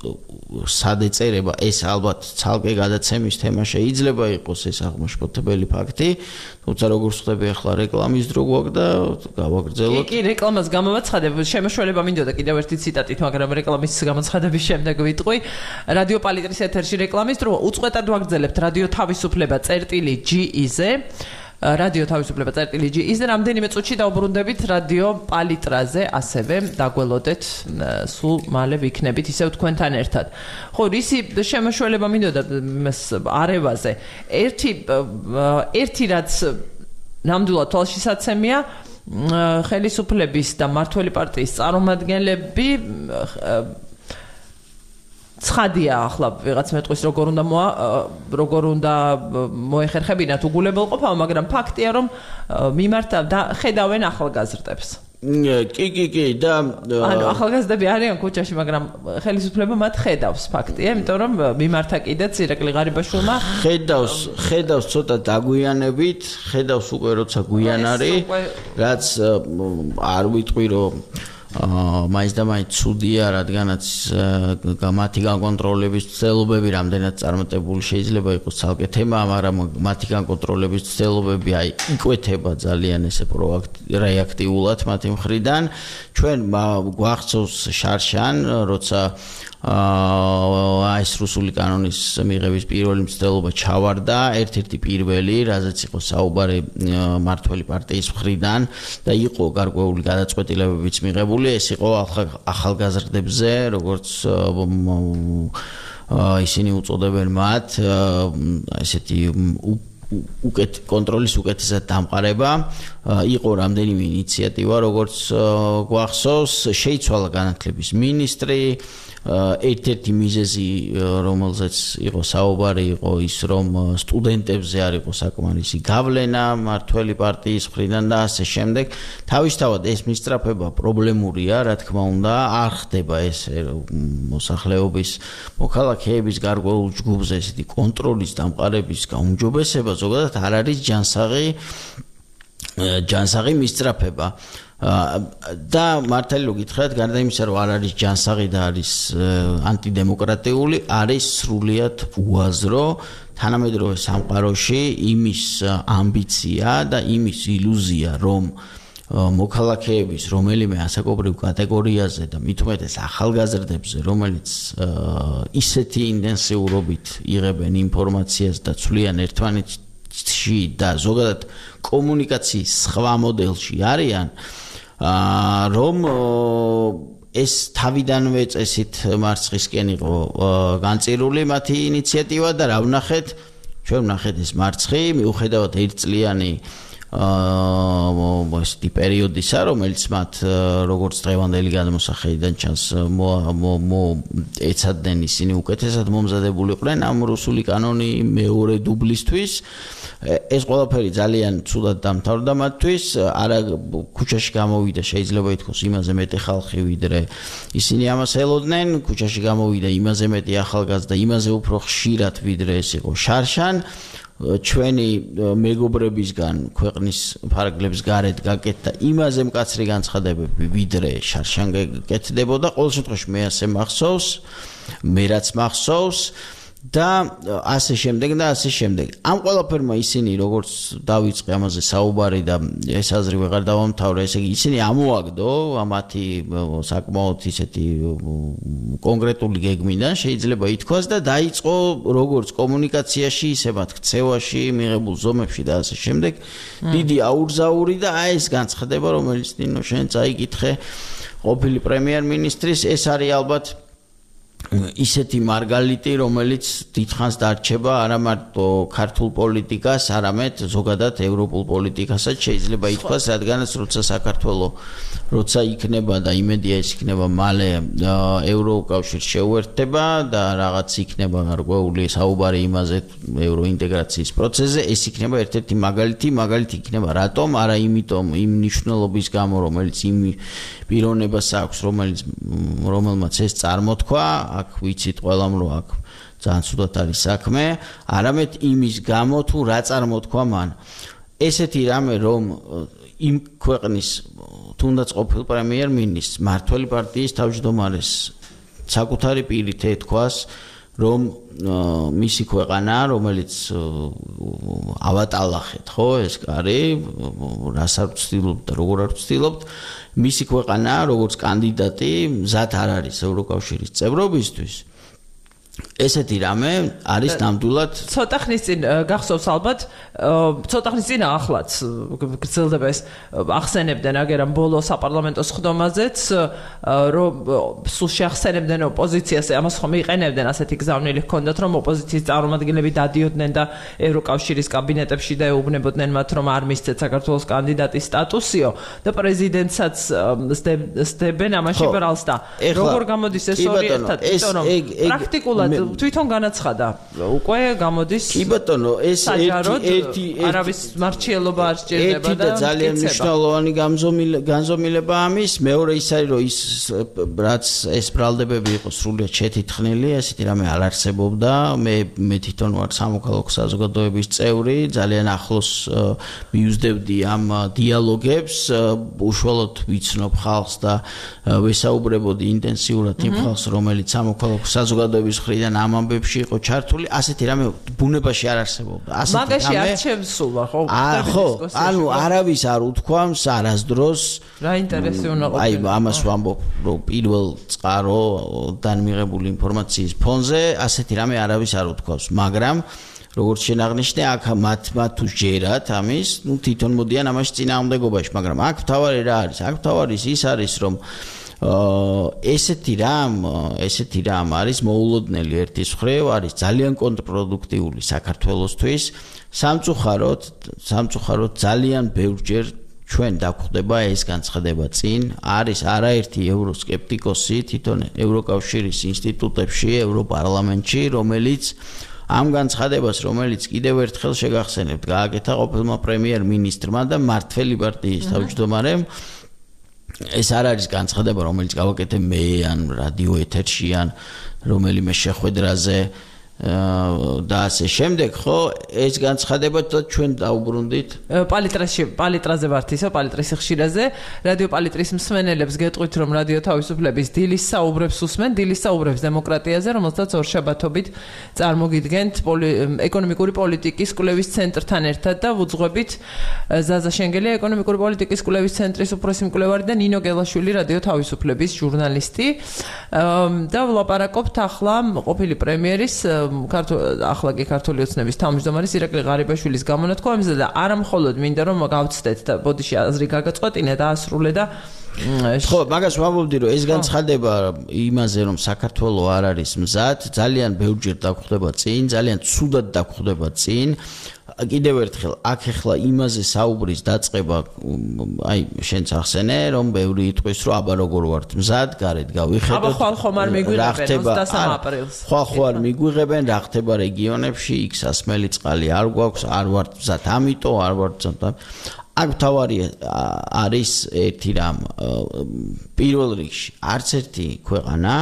სადეწერება, ეს ალბათ ცალკე გადაცემის თემა შეიძლება იყოს ეს აღმაშფოთებელი ფაქტი, თუმცა როგორც ხდება ახლა რეკლამის დრო გვაქვს და გავაგრძელოთ. კი, რეკლამას გამოვაცხადებ, შემოშველება მინდოდა კიდევ ერთი ციტატით, მაგრამ რეკლამის გამოცხადების შემდეგ ვიტყვი. რადიო პალიტრის ეთერში რეკლამის დრო, უწყვეტად ვაგრძელებთ რადიო თავისუფლება.ge-ზე. რადიო თავისუფლება წერტილი.ge-ზე რამდენიმე წუთში დავბრუნდებით რადიო პალიტრაზე, ასევე დაგველოდეთ სულ მალე ვიქნებით ისევ თქვენთან ერთად. ხო, რისი შემოშველება მინდოდა არევაზე. ერთი რაც ნამდვილად თვალშისაცემია, ხელისუფლების და მმართველი პარტიის წარმომადგენლები ცხადია ახლა ვიღაც მეტყვის როგორ უნდა მოეხერხებინათ უგულებელყოფა, მაგრამ ფაქტია რომ მიმართა და ხედავენ ახალგაზრდებს. კი და ანუ ახალგაზრდები არიან ქუჩაში, მაგრამ ხელისუფლება მათ ხედავს, ფაქტია, იმიტომ რომ მიმართა კიდეც ირაკლი ღარიბაშვილმა ხედავს ცოტა დაგვიანებით, ხედავს უკვე როცა გვიან არის, რაც არ ვიტყვი რომ მაინც და მაინც ცუდია, რადგანაც მათი განკონტროლების ცდილობები რამდენად წარმატებული შეიძლება იყოს ცალკე თემა, მაგრამ მათი განკონტროლების ცდილობები აი იკვეთება ძალიან ესე რეაქტიულად მათი მხრიდან. ჩვენ გვახსოვს შარშან, როცა ეს რუსული კანონის მიღების პირველი მცდელობა ჩავარდა, ერთ-ერთი პირველი, რაზეც იყო საუბარი მმართველი პარტიის მხრიდან და იყო გარკვეული გადაწყვეტილებებიც მიღებული, ეს იყო ახალგაზრდებზე, როგორც ისინი უწოდებენ მათ, ესეთი კონტროლის უკეთესად დამყარება, იყო რამდენიმე ინიციატივა, როგორც გვახსოვს, შეიცვალა განათლების მინისტრი, ერთ-ერთი მიზეზი, რომელზეც იყო საუბარი, იყო ის, რომ სტუდენტებზე არ იყო საკმარისი გავლენა მმართველი პარტიის მხრიდან და ასე შემდეგ. თავისთავად ეს მისწრაფება პრობლემურია, რა თქმა უნდა, არ ხდება ესე მოსახლეობის მოქალაქეების გარკვეულ ჯგუფზე ესეთი კონტროლის დამყარების გაუმჯობესება, ზოგადად არ არის ჯანსაღი მისწრაფება. და მართალი რო გითხრათ, გარდა იმისა, რომ არ არის ჯანსაღი და არის ანტიდემოკრატიული, არის სრულიად უაზრო თანამედროვე სამყაროში იმის ამბიცია და იმის ილუზია, რომ მოქალაქეების რომელიმე ასაკობრივ კატეგორიაზე და მით უმეტეს ახალგაზრდებზე, რომელიც ისეთი ინტენსიურობით იღებენ ინფორმაციას და ცვლიან ერთმანეთში და ზოგადად კომუნიკაციის სხვა მოდელში არიან, რომ ეს თავიდანვე წესით მარცხისკენ იყო განწირული მათი ინიციატივა და რა ვნახეთ, ჩვენ ვნახეთ ეს მარცხი, მიუხედავად ერთწლიანი ესეთი პერიოდისა, რომელიც მათ როგორც დღევანდელი გადმოსახედიდან ჩანს ეცადნენ ისინი უკეთესად მომზადებულიყვნენ ამ რუსული კანონი მეორე დუბლისთვის. ეს ყველაფერი ძალიან ცუდად დამთავრდა მათთვის, არა ქუჩაში გამოვიდა შეიძლება ითქვას იმაზე მეტი ხალხი ვიდრე ისინი ამას ელოდნენ, ქუჩაში გამოვიდა იმაზე მეტი ახალგაზრდა, იმაზე უფრო ხშირად ვიდრე ეს იყო შარშან. ჩვენი მეგობრებისგან ქვეყნის ფარგლებს გარეთ გაკეთდა იმაზე მკაცრი განცხადებები ვიდრე შარშან გეკეთდებოდა. ყოველ შემთხვევაში მე ასე მახსოვს, მე რაც მახსოვს და ასე შემდეგ და ასე შემდეგ. ამ ყველაფერმა ისინი როგორც დავიწყე ამაზე საუბარი და ეს აზრი ვეღარ დავამთავრე, ესე იგი ისინი ამოაგდო მათი საკმაოდ ისეთი კონკრეტული გეგმიდან შეიძლება ითქვას და დაიწყო როგორც კომუნიკაციაში, ისე მათ ქცევაში, მიღებულ ზომებში და ასე შემდეგ დიდი აურზაური და აი ეს განცხადება, რომელიც ნინო შენ წაიკითხე ყოფილი პრემიერ-მინისტრის, ეს არის ალბათ ისეთი მარგალიტი, რომელიც დიდხანს დარჩება არა მარტო ქართულ პოლიტიკას, არამედ ზოგადად ევროპულ პოლიტიკასაც შეიძლება ითქვას, რადგანაც როცა საქართველო როცა იქნება და იმედია ის იქნება მალე ევროკავშირს შეუერთდება და რაღაც იქნება გარკვეული საუბარი იმაზე ევროინტეგრაციის პროცესზე, ეს იქნება ერთ-ერთი მაგალითი იქნება რატომ, არა იმიტომ იმ ნიშნულობის გამო, რომელიც იმ პიროვნებას აქვს, რომელმაც ეს წარმოთქვა, აქ ვიცით ყველამ რომ აქ ძალიან ცუდად არის საქმე, არამედ იმის გამო თუ რა წარმოთქვა მან. ესეთი რამე რომ იმ ქვეყნის თუნდაც ყოფილ პრემიერ-მინისტრს მართველი პარტიის თავმჯდომარეს საკუთარი პირით ეთქვას, რომ მისი ქვეყანა, რომელიც ავატალახეთ, ხო, ეს კარი, რას არ ვცდილობთ და როგორ არ ვცდილობთ, მისი ქვეყანა, როგორც კანდიდატი, მზად არ არის ევროკავშირის წევრობისთვის. ესეთი რამე არის ნამდვილად ცოტა ხნის წინ გახსოვს ალბათ, ცოტა ხნის წინ ახლაც გრძელდება ეს ახსენებდნენ აგერამ ბოლო საპარლამენტო სხდომაზეც, რომ სულ შეახსენებდნენ ოპოზიციას, ამას ხომ იყენებდნენ ასეთი გზავნილი ჰქონდათ, რომ ოპოზიციის წარმომადგენლები დადიოდნენ და ევროკავშირის კაბინეტებში და ეუბნებოდნენ მათ, რომ არ მისცეთ საქართველოს კანდიდატის სტატუსიო და პრეზიდენტსაც სდებენ ამაში ბრალს და როგორ გამოდის ეს ორი ერთად, იმიტომ რომ პრაქტიკულად თვითონ განაცხადა უკვე გამოდის კი ბატონო ეს ერთი არავის მარჩიელობა არ სჭირდება და ძალიან მნიშვნელოვანი განზომილება ამის მეორე ის არის რომ ის რაც ეს ბრალდებები იყო სრულიად შეთითხნილი ესეთი რამე არ არსებობდა მე თვითონ ვარ სამოქალაქო საზოგადოების წევრი ძალიან ახლოს მიუძდევდი ამ დიალოგებს უშუალოდ ვიცნობ ხალხს და ვესაუბრებოდი ინტენსიურად იმ ხალხს რომელიც სამოქალაქო საზოგადოების მხრიდან ამ ამბებში იყო ჩართული, ასეთი რამე ბუნებაში არ არსებობდა. მაგაში არჩევს სულ ვარ, ხო? ხო, ანუ არავის არ უთქვამს არასდროს რა ინტერესი უნდა ყოფილიყო. აი, ამას ვამბობ, რომ პირველ წყაროდან მიღებული ინფორმაციის ფონზე ასეთი რამე არავის არ უთქვამს, მაგრამ როგორც შენაღნიშნე, აქ მათ თუ ჯერათ ამის, ნუ თვითონ მოდიან ამაში წინააღმდეგობაში, მაგრამ აქ თავარი რა არის? აქ თავარი ის არის, რომ ესეთი რამ არის მოულოდნელი ერთის მხრივ არის ძალიან კონტრპროდუქტიული საქართველოსთვის სამწუხაროდ ძალიან ბევრჯერ ჩვენ დაგვხდება ეს განცხადება წინ არის არაერთი ევროსკეპტიკოსი თვითონ ევროკავშირის ინსტიტუტებში ევროპარლამენტში რომელიც ამ განცხადებას რომელიც კიდევ ერთხელ შეგახსენებთ გააკეთა ყოფილმა პრემიერ-მინისტრმა და მართველი პარტიის თავმჯდომარემ ეს არ არის განცხადება რომელიც გავაკეთე მე ან რადიო ეთერში ან რომელიმე შეხვედრაზე და ასე შემდეგ ხო ეს განცხადება ჩვენ დაუბრუნდით პალიტრაზე ვართ ისო პალიტრის ხშირაზე რადიო პალიტრის მსმენელებს გეტყვით რომ რადიო თავისუფლების დილის საუბრებს უსმენ დილის საუბრებს დემოკრატიაზე რომელსაც ორშაბათობით წარმოგიდგენთ ეკონომიკური პოლიტიკის კვლევის ცენტრთან ერთად და ვუძღვებით ზაზა შენგელი ეკონომიკური პოლიტიკის კვლევის ცენტრის უფროსი მკვლევარი და ნინო გელაშვილი რადიო თავისუფლების ჟურნალისტი და ვლაპარაკობთ ახლა ყოფილი პრემიერის ახლა კი ქართული ოცნების თავმჯდომარის ირაკლი ღარიბაშვილის გამონათქვამებზე და არა მხოლოდ მინდა რომ გავცდეთ და ბოდიში აზრი გაგაწყვეტინე და ასრულე და ხო, მაგას ვამბობდი, რომ ეს განცხადება იმაზე, რომ საქართველოს არ არის მზად, ძალიან ბევრჯერ დაგხვდება წინ, ძალიან ცუდად დაგხვდება წინ. კიდევ ერთხელ, აქ ახლა იმაზე საუბრის დაწყება, აი, შენც ახსენე, რომ ბევრი იტყვის, რომ აბა როგორ ვართ მზად, გარეთ გავიხედოთ. აბა ხომ არ მიგვიღებენ 23 აპრილს. ხო არ მიგვიღებენ, რა ხდება რეგიონებში, იქ სასმელი წყალი არ გვაქვს, არ ვართ მზად, ამიტომ არ ვართ მზად. აქ თავარი არის ერთი რამ, პირველ რიგში, არც ერთი ქვეყანა,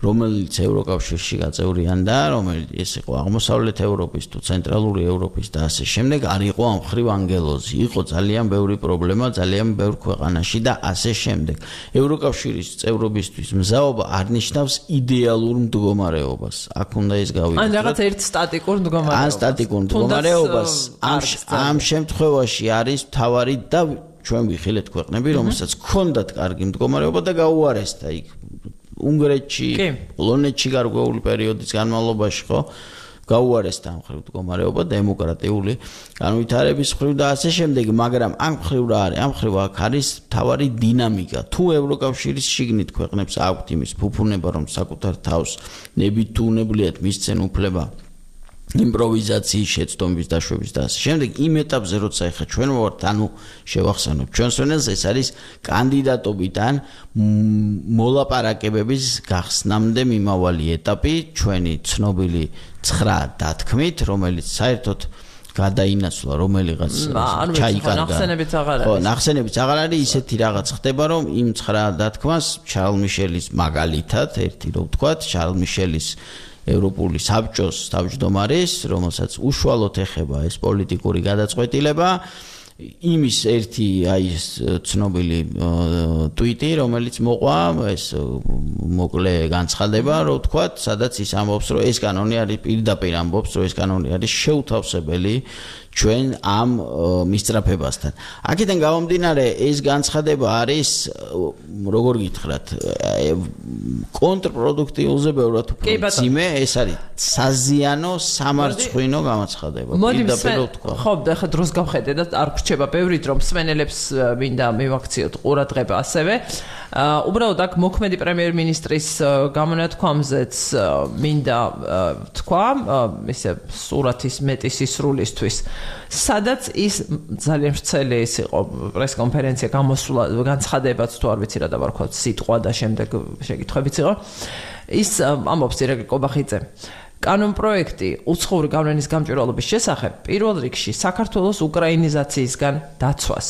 რომელიც ევროკავშირში გაწევრიანდა, რომელიც ეს იყო აღმოსავლეთ ევროპის თუ ცენტრალური ევროპის და ასე შემდეგ, არ იყო ამ ხრივ ანგელოზი. იყო ძალიან ბევრი პრობლემა, ძალიან ბევრ ქვეყანაში და ასე შემდეგ. ევროკავშირის წევრობისთვის მზაობა არ ნიშნავს იდეალურ მდგომარეობას. აქ უნდა ეს გავიგოთ. ან რაღაც ერთ სტატიკურ მდგომარეობას. ან სტატიკურ მდგომარეობას ამ შემთხვევაში არის მთავარი და ჩვენ ვიხილეთ ქვეყნები, რომელსაც ჰქონდათ კარგი მდგომარეობა და გაუარესდა იქ. უნგრეთში, პოლონეთში გარკვეული პერიოდის განმავლობაში ხო გაუარესდა ამ ხრივ მდგომარეობა დემოკრატიული განვითარების ხრივ და ასე შემდეგ, მაგრამ ამ ხრივ რა არის? ამ ხრივ აქ არის თავარი დინამიკა. თუ ევროკავშირის შიგნით ქვეყნებს აქვთ იმის ფუფუნება, რომ საკუთარ თავს ნებით თუ უნებლიათ მისცენ უფლება იმპროვიზაციის შეცდომების დაშვების და ასე შემდეგ, იმ ეტაპზე როცა ეხა ჩვენ ვართ, ანუ შევახსენოთ ჩვენს ვენელს, ეს არის კანდიდატობიდან მოლაპარაკებების გახსნამდე მიმავალი ეტაპი, ჩვენი ცნობილი 9 დათქმით, რომელიც საერთოდ გადაინაცვლა რომელიღაც ჩაიკარგა. ხო, ნახსენებიც აღარ არის, ისეთი რაღაც ხდება, რომ იმ 9 დათქმას შარლ მიშელის მაგალითად, ერთი რო ვთქვათ, შარლ მიშელის ევროპული საბჭოს თავმჯდომარის, რომელსაც უშუალოდ ეხება ეს პოლიტიკური გადაწყვეტილება, იმის ერთი აი ეს ცნობილი ტვიტი, რომელიც მოყვა, ეს მოკლე განცხადება, რომ ვთქვათ, სადაც ის ამბობს, რომ ეს კანონი არის პირდაპირ ამბობს, რომ ეს კანონი არის შეუთავსებელი ჩვენ ამ მისწრაფებასთან. აქედან გამომდინარე, ეს განცხადება არის, როგორ გითხრათ, კონტრპროდუქტიულზე ბევრად უფრო მძიმე, ეს არის საზიანო, სამარცხვინო განცხადება. პირდაპირ ვთქვა. ხო, ახლა დროს გავხედე და არ გრჩება ბევრით, რომ მსმენელებს მინდა მივაქციოთ ყურადღება ასევე. უბრალოდ აქ მოქმედი პრემიერ-მინისტრის გამონათქვამზეც მინდა თქვა, ისე სურათის მეტი სისრულისთვის, სადაც ის ძალიან ვრცელი ის იყო პრესკონფერენცია გამოსვლა, განცხადებაც თუ არ ვიცი რა დავარქვა, სიტყვა და შემდეგ შეკითხვებიც იყო. ის ამბობს ირაკლი კობახიძე, კანონპროექტი უცხოური გავლენის გამჭვირვალობის შესახებ პირველ რიგში საქართველოს უკრაინიზაციისგან დაცვას,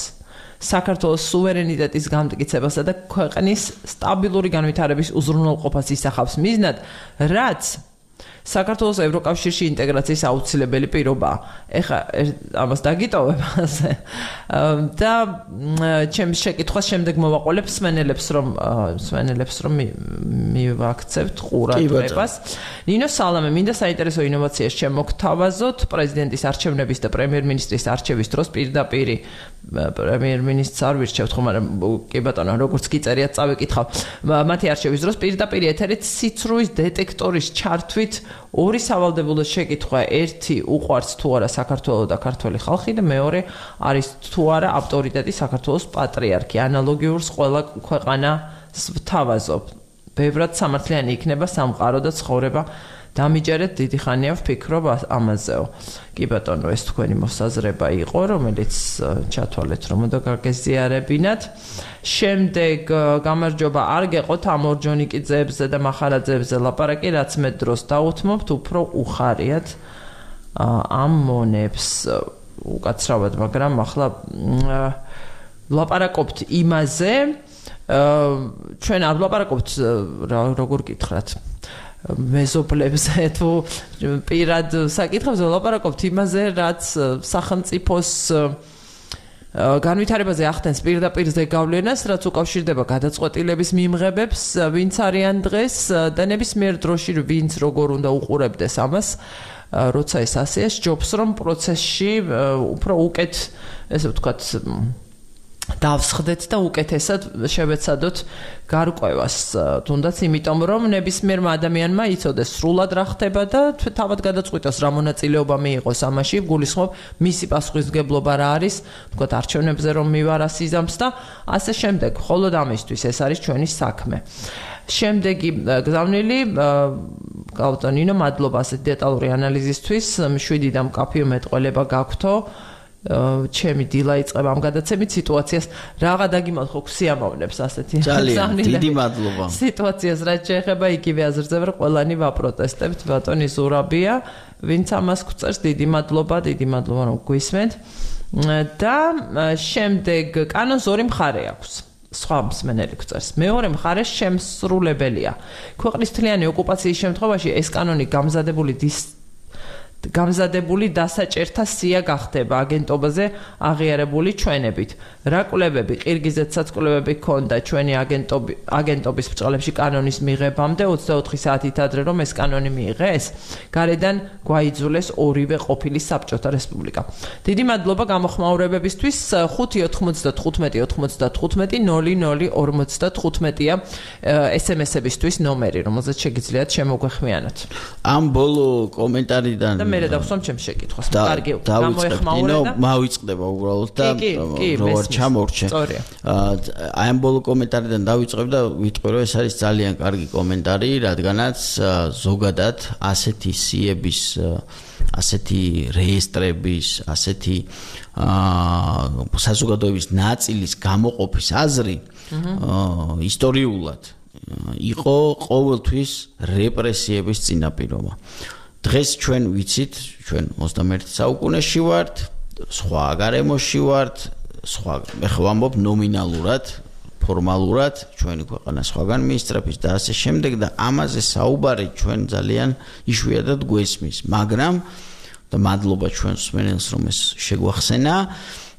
საქართველოს სუვერენიტეტის გამტკიცებასა და ქვეყნის სტაბილური განვითარების უზრუნველყოფას ისახავს მიზნად, რაც საქართველოს ევროკავშირში ინტეგრაციის აუცილებელი პირობაა. ეხლა ამას დაგიტოვებ ასე. და ჩემს შეკითხვას შემდეგ მოვაყოლებ მსმენელებს, რომ მივაქცევთ ყურადღებას. ნინო სალამე, მინდა საინტერესო ინოვაციას შემოგთავაზოთ პრეზიდენტის არჩევნების და პრემიერ-მინისტრის არჩევის დროს პირდაპირ პრემიერ-მინისტრს არ ვირჩევთ, ხო, მაგრამ კი ბატონო, როგორც გიწერიათ, წავიკითხავ. მათი არჩევის დროს პირდაპირ ეთერით სიცრუის დეტექტორის ჩართვით ორი სავალდებულო შეკითხვა, ერთი უყვარს თუ არა საქართველოს და ქართველი ხალხი და მეორე არის თუ არა ავტორიტეტი საქართველოს პატრიარქი. ანალოგიურს ყველა ქვეყანას ვთავაზობ. ბევრად სამართლიანი იქნება სამყარო და ცხოვრება. დამიჯერეთ, დიდი ხანია ვფიქრობ ამაზეო. კი ბატონო, ეს თქვენი მოსაზრება იყო, რომელიც ჩათვალეთ, რომ უნდა გაგეზიარებინათ. შემდეგ გამარჯობა, არ გეყოთ ამ ორჯონიკიძეებზე და მახარაძეებზე ლაპარაკი, რაც მე დროს დაუთმობთ, უფრო უხარიათ ამ მონებს უკაცრავად, მაგრამ ახლა ლაპარაკობთ იმაზე, ჩვენ არ ლაპარაკობთ, როგორ გითხრათ, მეზობლებზე თუ პირად საკითხებზე ლაპარაკობთ იმაზე, რაც სახელმწიფოს განვითარებაზე ახდენს პირდაპირ ზეგავლენას, რაც უკავშირდება გადაწყვეტილების მიმღებებს, ვინც არიან დღეს და ნებისმიერ დროში ვინც როგორ უნდა უყურებდეს ამას, როცა ეს ასეა, ჯობს რომ პროცესში უფრო უკეთ, ესე ვთქვათ, დავსხდეთ და უკეთესად შევეცადოთ გარკვევას, თუნდაც იმიტომ რომ ნებისმიერმა ადამიანმა იცოდეს სრულად რა ხდება და თავად გადაწყვიტოს რა მონაწილეობა მიიღოს ამაში, გულისხმობ მისი პასუხისმგებლობა რა არის, თქვათ არჩევნებზე რომ მივარა სიზამს და ასე შემდეგ. მხოლოდ ამისთვის ეს არის ჩვენი საქმე. შემდეგი გზავნილი გავტონინო, მადლობა ასეთ დეტალური ანალიზისთვის. 7-დან მკაფიო მეტყველება გაქვთო. ჩემი დილა იწყება ამ გადაცემით სიტუაციას რაღა დაგიმალხო ქსიამოვნებს ასეთი ძალიან დიდი მადლობა სიტუაციას რაც შეეხება იგივე აზრზე ვარ ყველანი ვაპროტესტებთ ბატონი ზურაბია ვინც ამას გვწერს დიდი მადლობა რომ გვისმენთ და შემდეგ კანონს ორი მხარე აქვს სხვა მსმენელი გვწერს მეორე მხარე შემსრულებელია ქვეყნის თლიანი ოკუპაციის შემთხვევაში ეს კანონი გამზადებული დასაჭერთა სია გახდება აგენტობაზე აღიარებული ჩვენებით. რა კვლევები, ყირგიზეთსაც კვლევები ჰქონდა ჩვენი აგენტობის ბრძოლებში კანონის მიღებამდე 24 საათით ადრე რომ ეს კანონი მიიღეს, გარედან გვაიძულეს ორივე ყოფილი საბჭოთა რესპუბლიკა. დიდი მადლობა გამოხმაურებებისთვის 5-95-95-00-00-55-00-55-ია SMS-ებისთვის ნომერი, რომელზეც შეგიძლიათ შემოგვეხმიანოთ. ამ ბოლო კომენტარიდან მე დავხსოვ ჩემს შეკითხვას. კარგი, გამოეხმაურე და მავიწყდება უბრალოდ და როგორ ჩამორჩე. აი ამ ბოლო კომენტარიდან დავიწყებ და ვიტყვი რომ ეს არის ძალიან კარგი კომენტარი, რადგანაც ზოგადად ასეთი სიების, ასეთი რეესტრების, ასეთი საზოგადოების ნაწილის გამოყოფის აზრი ისტორიულად იყო ყოველთვის რეპრესიების წინაპირობა. დღეს ჩვენ ვიცით, ჩვენ 21 საუკუნეში ვართ, სხვა გარემოში ვართ, სხვა ეხლა ვამბობ ნომინალურად, ფორმალურად, ჩვენი ქვეყანა სხვაგან მიისწრაფის და ასე შემდეგ და ამაზე საუბარი ჩვენ ძალიან იშვიათად გვესმის, მაგრამ და მადლობა ჩვენს მსმენელს რომ ეს შეგვახსენა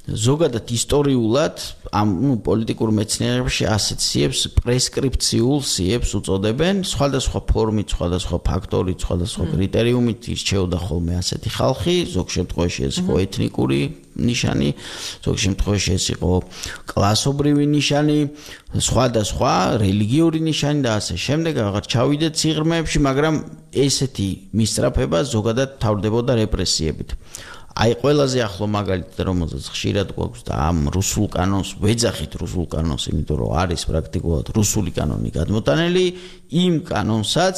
ზოგადად ისტორიულად ამ პოლიტიკურ მეცნიერებაში ასეთ სიებს პრესკრიფციულ სიებს უწოდებენ სხვადასხვა ფორმით, სხვადასხვა ფაქტორით, სხვადასხვა კრიტერიუმით ირჩეოდა ხოლმე ასეთი ხალხი, ზოგ შემთხვევაში ეს იყო ეთნიკური ნიშანი, ზოგ შემთხვევაში ეს იყო კლასობრივი ნიშანი, სხვადასხვა რელიგიური ნიშანი და ასე შემდეგ, აღარ ჩავიდეთ სიღრმეებში, მაგრამ ესეთი მისწრაფება ზოგადად თავდებოდა რეპრესიებით. აი ყველაზე ახლო მაგალითად რომელზეც ხშირად გვაქვს და ამ რუსულ კანონს ვეძახით რუსულ კანონს, იმიტომ რომ არის პრაქტიკულად რუსული კანონი გადმოტანილი, იმ კანონსაც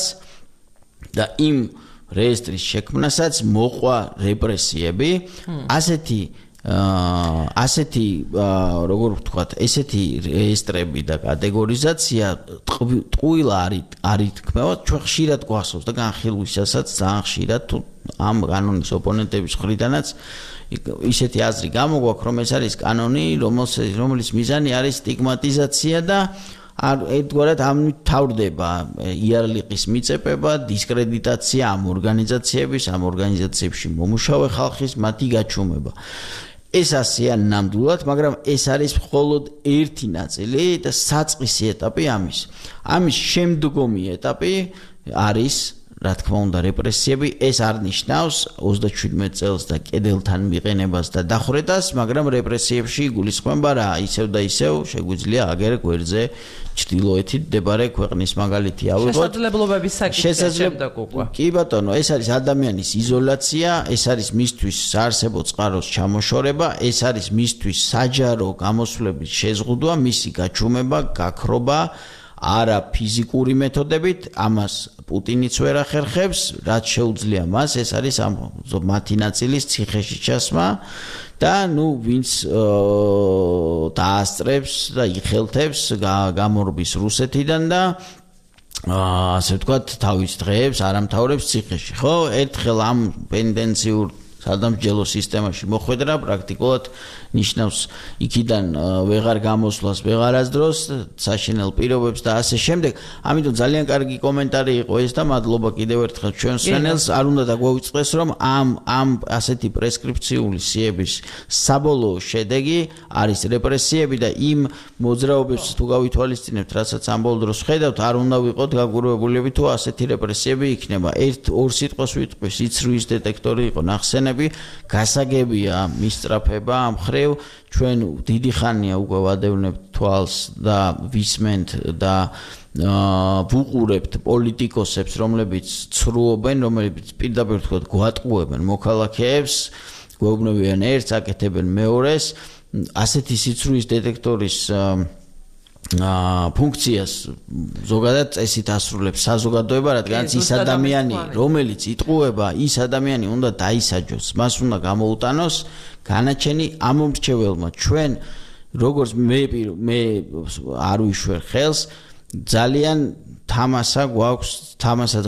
და იმ რეესტრის შექმნასაც მოყვა რეპრესიები, ასეთი როგორ ვთქვათ, ესეთი რეესტრები და კატეგორიზაცია ტყუილა არ ითქმება, ჩვენ ხშირად გვახსოვს და განხილვისასაც ძალიან ხშირად თუ ამ კანონის ოპონენტების მხრიდანაც ისეთი აზრი გამოგვაქვს, რომ ეს არის კანონი, რომლის მიზანი არის სტიგმატიზაცია და ერთგვარად ამით თავდება იარლიყის მიწებება, დისკრედიტაცია ამ ორგანიზაციებში მომუშავე ხალხის მათი გაჩუმება. ეს ასეა ნამდვილად, მაგრამ ეს არის მხოლოდ ერთი ნაწილი და საწყისი ეტაპი ამის. ამის შემდგომი ეტაპი არის რა თქმა უნდა რეპრესიები, ეს არ ნიშნავს 37 წელს და კედელთან მიყენებას და დახვრეტას, მაგრამ რეპრესიებში გულისხმობა რა, ისევ და ისევ შეგვიძლია აგერ გვერდზე ჩრდილოეთით მდებარე ქვეყნის მაგალითი ავიღოთ. შესაძლებლობების საკითხი შემდეგ უკვე. კი ბატონო, ეს არის ადამიანის იზოლაცია, ეს არის მისთვის საარსებო წყაროს ჩამოშორება, ეს არის მისთვის საჯარო გამოსვლების შეზღუდვა, მისი გაჩუმება, გაქრობა არა ფიზიკური მეთოდებით, ამას პუტინიც ვერ ახერხებს, რაც შეუძლია მას, ეს არის ამ მათი ნაწილის ციხეში ჩასმა და ვინც დაასწრებს და იხელთებს გამორბის რუსეთიდან და ასე ვთქვათ, თავის დღეებს არამთავრებს ციხეში, ხო? ერთხელ ამ პენდენციურ სადამსჯელო სისტემაში მოხვედრა პრაქტიკულად ნიშნავს იქიდან ვეღარ გამოსვლას, ვეღარ აზდროს, საშინელ პირობებს და ასე შემდეგ. ამიტომ ძალიან კარგი კომენტარი იყო ეს და მადლობა კიდევ ერთხელ ჩვენს მსმენელს. არ უნდა დაგვაუწყდეს, რომ ამ ასეთი პრესკრიფციული სიების საბოლოო შედეგი არის რეპრესიები და იმ მოძრაობებს თუ გავითვალისწინებთ, რასაც ამ ბოლო დროს ხედავთ, არ უნდა ვიყოთ გაგურვებულები თუ ასეთი რეპრესიები იქნება. ორ სიტყვას ვიტყვი, სიცრუის დეტექტორი იყო ნახსენები არჩევნები გასაგებია მისწრაფება ამ ხრივ ჩვენ დიდი ხანია უკვე ვადევნებთ თვალს და ვისმენთ და ვუყურებთ პოლიტიკოსებს რომლებიც ცრუობენ რომლებიც პირდაპირ თქვა გვატყუებენ მოქალაქეებს გვეუბნებიან ერთს აკეთებენ მეორეს ასეთი სიცრუის დეტექტორის ფუნქციას ზოგადად წესით ასრულებს საზოგადოება, რადგანაც ის ადამიანი, რომელიც იტყუება, ის ადამიანი უნდა დაისაჯოს, მას უნდა გამოუტანოს განაჩენი ამომრჩეველმა. ჩვენ როგორც მე არ ვიშვერ ხელს, ძალიან თამასად